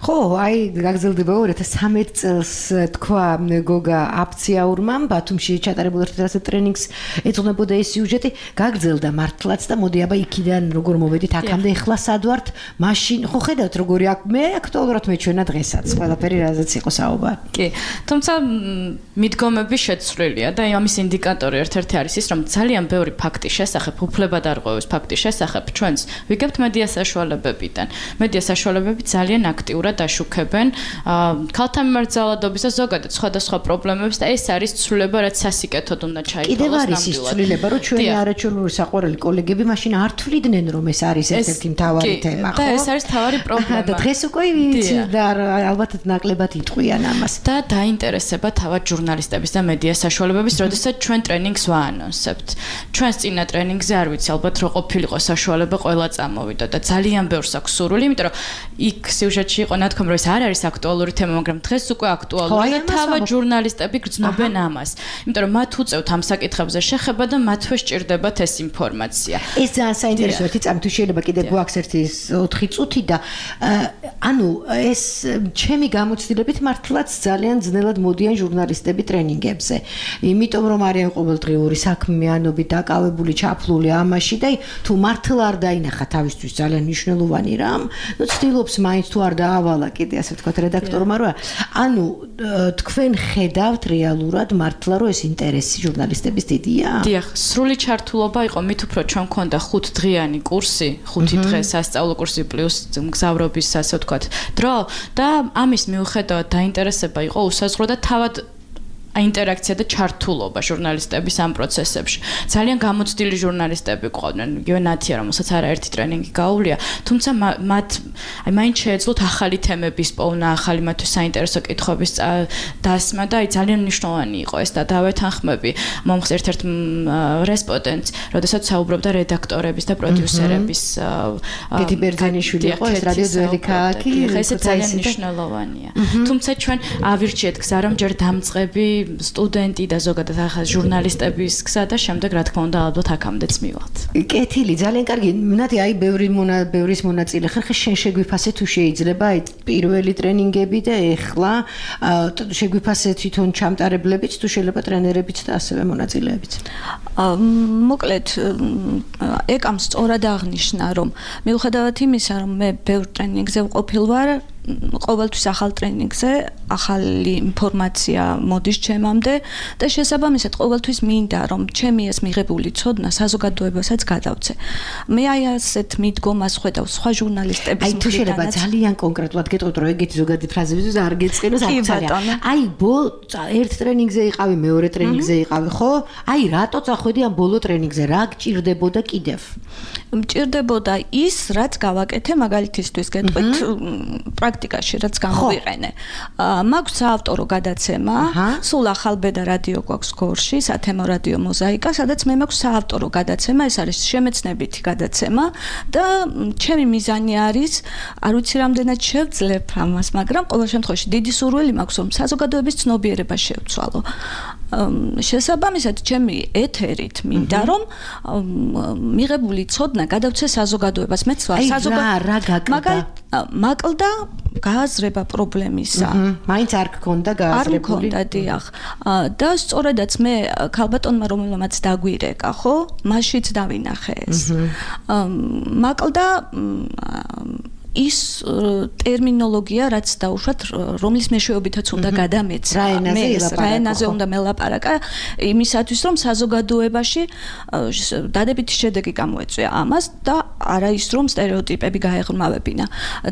ხო, აი გაგრძელდება ორი ათას ცხრამეტ წელს თქვა გოგა აფციაურმა ბათუმში ჩატარებულ ერთ-ერთ ტრენინგს ეძღვნებოდა ეს სიუჟეტი, გაგრძელდა მართლაც და მოდი აბა იქიდან როგორ მოვედით აქამდე, ეხლა სად ვართ? მაშინ ხო ხედავთ როგორი აქ მე აქტუალურად მეჩვენა დღესაც ყველაფერი რაზეც იყო საუბარი. კი, თუმცა მიდგომები შეცვლილია და ამის ინდიკატორი ერთ-ერთი არის ის, რომ ძალიან ბევრი ფაქტის შესახებ, უფლებადარღვევის ფაქტის შესახებ ჩვენს ვიგებთ მედია საშუალებებიდან. მედია საშუალებები ძალიან აქტიურად ხშირად აშუქებენ ქალთა მიმართ ძალადობის და ზოგადად სხვადასხვა პრობლემებს და ეს არის ცვლილება, რაც სასიკეთოდ უნდა ჩაითვალოს. კიდევ არის ის ცვლილება, რომ ჩვენი არაჩვეულებრივი საყვარელი კოლეგები მაშინ არ თვლიდნენ, რომ ეს არის ერთ-ერთი მთავარი თემა, ხო? და ეს არის მთავარი პრობლემა. და დღეს უკვე ვიცი და ალბათ ნაკლებად იტყვიან ამას. და დაინტერესება თავად ჟურნალისტების და მედია საშუალებების, როდესაც ჩვენ ტრენინგს ვაანონსებთ. ჩვენს წინა ტრენინგზე არ ვიცი, ალბათ რო ყოფილიყო საშუალება ყველა წამოვიდა და ძალიან ბევრს აქვს სურვილი, იმიტომ რომ იქ სიუჟეტში იყო ნათქვამი, რომ ეს არ არის აქტუალური თემა, მაგრამ დღეს უკვე აქტუალურია და თავად ჟურნალისტები გრძნობენ ამას. იმიტომ რომ მათ უწევთ ამ საკითხებზე შეხება და მათვე სჭირდებათ ეს ინფორმაცია. ეს ძალიან საინტერესოა, ერთი წამი თუ შეიძლება კიდე გვაქვს ერთი ოთხი წუთი და ანუ ეს ჩემი გამოცდილებით მართლაც ძალიან ძნელად მოდიან ჟურნალისტები ტრენინგებზე. იმიტომ რომ არიან ყოველდღიური საქმიანობით დაკავებული, ჩაფლული ამაში და თუ მართლა არ დაინახა თავისთვის ძალიან მნიშვნელოვანი რამ, ნუ ცდილობს მაინც თუ არ დაავალა კიდე ასე ვთქვათ რედაქტორმა, რომ ანუ თქვენ ხედავთ რეალურად მართლა რომ ეს ინტერესი ჟურნალისტების დიდია? დიახ, სრული ჩართულობა იყო, მით უფრო ჩვენ მქონდა ხუთდღიანი კურსი, ხუთი დღე სასწავლო კურსი პლუს მგზავრობის ასე ვთქვათ დრო და ამის მიუხედავად დაინტერესება იყო უსაზღვრო და თავად აინტერაქცია და ჩართულობა ჟურნალისტების ამ პროცესებში. ძალიან გამოცდილი ჟურნალისტები ყავდნენ, იგივე ნათია, რომელსაც არაერთი ტრენინგი გაუვლია, თუმცა მათ აი მაინც შეეძლოთ ახალი თემების პოვნა, ახალი მათთვის საინტერესო კითხვების დასმა და აი ძალიან მნიშვნელოვანი იყო ეს და დავეთანხმები მომხს ერთ-ერთ რესპონდენტს, როდესაც საუბრობდა რედაქტორების და პროდიუსერების გეთი ბერძენიშვილი იყო ეს რადიო ძველი ქალაქი, ეს ძალიან მნიშვნელოვანია. თუმცა ჩვენ ავირჩიეთ გზა, რომ ჯერ დამწყები სტუდენტი და ზოგადად ახალ ჟურნალისტების გზა და შემდეგ რა თქმა უნდა ალბათ აქამდეც მივიღოთ. კეთილი, ძალიან კარგი. ნათი, აი ბევრი მონა ბევრის მონაწილე ხარ, ხე შენ შეგვიფასე თუ შეიძლება აი პირველი ტრენინგები და ეხლა შეგვიფასე თვითონ ჩამტარებლებიც თუ შეიძლება ტრენერებიც და ასევე მონაწილეებიც. მოკლედ ეკამ სწორად აღნიშნა, რომ მიუხედავად იმისა, რომ მე ბევრ ტრენინგზე ვყოფილ ვარ, ყოველთვის ახალ ტრენინგზე ახალი ინფორმაცია მოდის ჩემამდე და შესაბამისად ყოველთვის მინდა რომ ჩემი ეს მიღებული ცოდნა საზოგადოებასაც გადავცე. მე აი ასეთ მიდგომას ხედავ სხვა ჟურნალისტების მხრიდან. აი თუ შეიძლება ძალიან კონკრეტულად გეტყვით რომ ეგეთი ზოგადი ფრაზები არ გეწყინოს აქცია. აი ბოლო ერთ ტრენინგზე იყავი, მეორე ტრენინგზე იყავი, ხო? აი რატო წახვედი ამ ბოლო ტრენინგზე? რა გჭირდებოდა კიდევ? მჭირდებოდა ის, რაც გავაკეთე მაგალითისთვის გეტყვით პრაქტიკაში რაც გამოვიყენე. მაქვს საავტორო გადაცემა, სულ ახალბედა რადიო გვაქვს გორში, სათემო რადიო მოზაიკა, სადაც მე მაქვს საავტორო გადაცემა, ეს არის შემეცნებითი გადაცემა და ჩემი მიზანი არის, არ ვიცი რამდენად შევძლებ ამას, მაგრამ ყოველ შემთხვევაში დიდი სურვილი მაქვს, რომ საზოგადოების ცნობიერება შევცვალო. შესაბამისად ჩემი ეთერით მინდა რომ მიღებული ცოდნა გადავცე საზოგადოებას. მეც ვარ საზოგადოება. მაკლდა გააზრება პრობლემისა. მაინც არ გქონდა გააზრებული. არ მქონდა, დიახ. და სწორედაც მე ქალბატონმა რომელმაც დაგვირეკა, ხო? მაშიც დავინახე ეს. მაკლდა ის ტერმინოლოგია, რაც დაუშვათ, რომლის მეშვეობითაც უნდა გადამეცვა. მე რა ენაზე უნდა მელაპარაკა, იმისათვის, რომ საზოგადოებაში დადებითი შედეგი გამოეწვია ამას და არა ის, რომ სტერეოტიპები გაეღრმავებინა.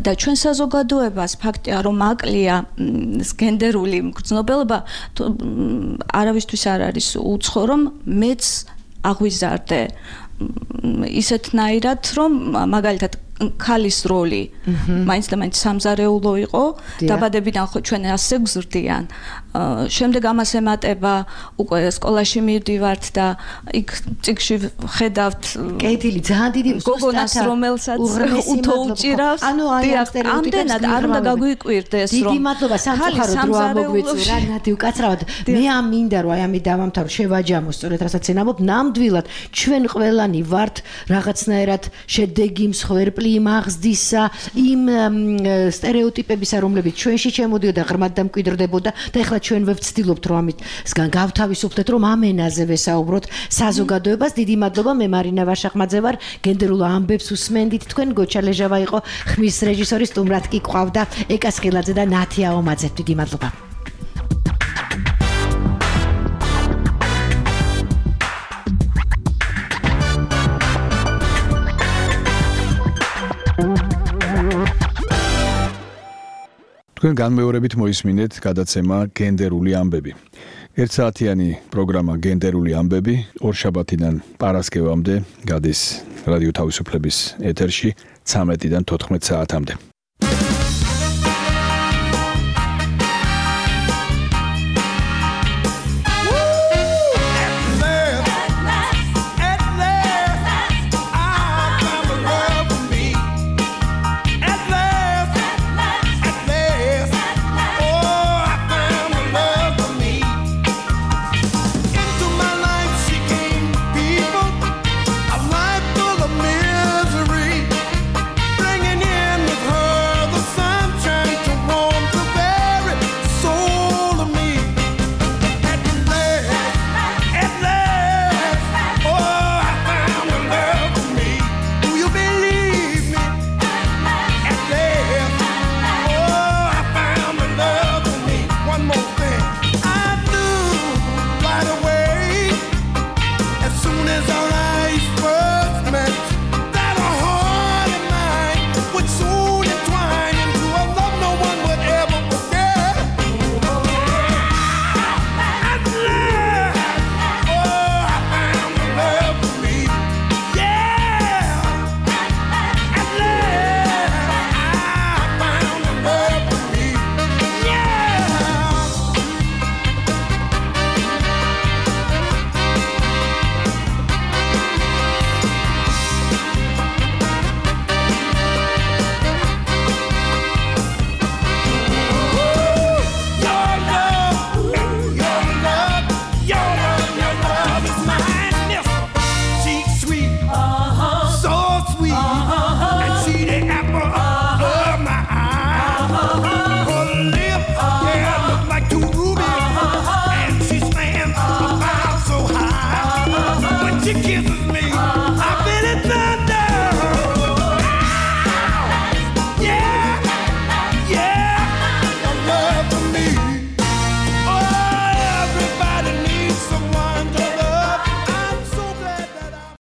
და ჩვენ საზოგადოებას ფაქტია, რომ აკლია გენდერული მგრძნობელობა, არავისთვის არ არის უცხო, რომ მეც აღვიზარდე ისეთნაირად, რომ მაგალითად ქალის როლი მაინც და მაინც სამზარეულო იყო, დაბადებიდან ხო ჩვენ ასე გზრდიან. შემდეგ ამას ემატება უკვე სკოლაში მივდივართ და იქ წიგში ხედავთ კეთილი ძალიან დიდი გოგონას რომელსაც უთო უჭირავს. ანუ ამდენად არ უნდა გაგვიკვირდეს რომ დიდი მადლობა სამწუხაროდ რო ამოგვიწურა ნათი უკაცრავად. მე ამ მინდა რომ აი ამი დავამთავრო შევაჯამო სწორედ რასაც ენამობ ნამდვილად ჩვენ ყველანი ვართ რაღაცნაირად შედეგი მსხვერპლი მაღზდისა იმ სტერეოტიპებისა რომლებიც ჩვენში შემოდიოდა ღრმად და მკვიდრდებოდა და ეხლა ჩვენ ვეცდილობთ რომ ამისგან გავთავისუფლდეთ რომ ამ ენაზე ვესაუბროთ საზოგადოებას. დიდი მადლობა. მე მარინა ვაშახმაძე ვარ, გენდერულ ამბებს უსმენდით თქვენ. გოჩა ლეჟავა იყო ხმის რეჟისორი, სტუმრად კი ყავდა ეკა სხილაძე და ნათია ომაძე. დიდი მადლობა. თქვენ განმეორებით მოისმინეთ გადაცემა გენდერული ამბები. ერთსაათიანი პროგრამა გენდერული ამბები ორშაბათიდან პარასკევამდე გადის რადიო თავისუფლების ეთერში ცამეტიდან თოთხმეტ საათამდე.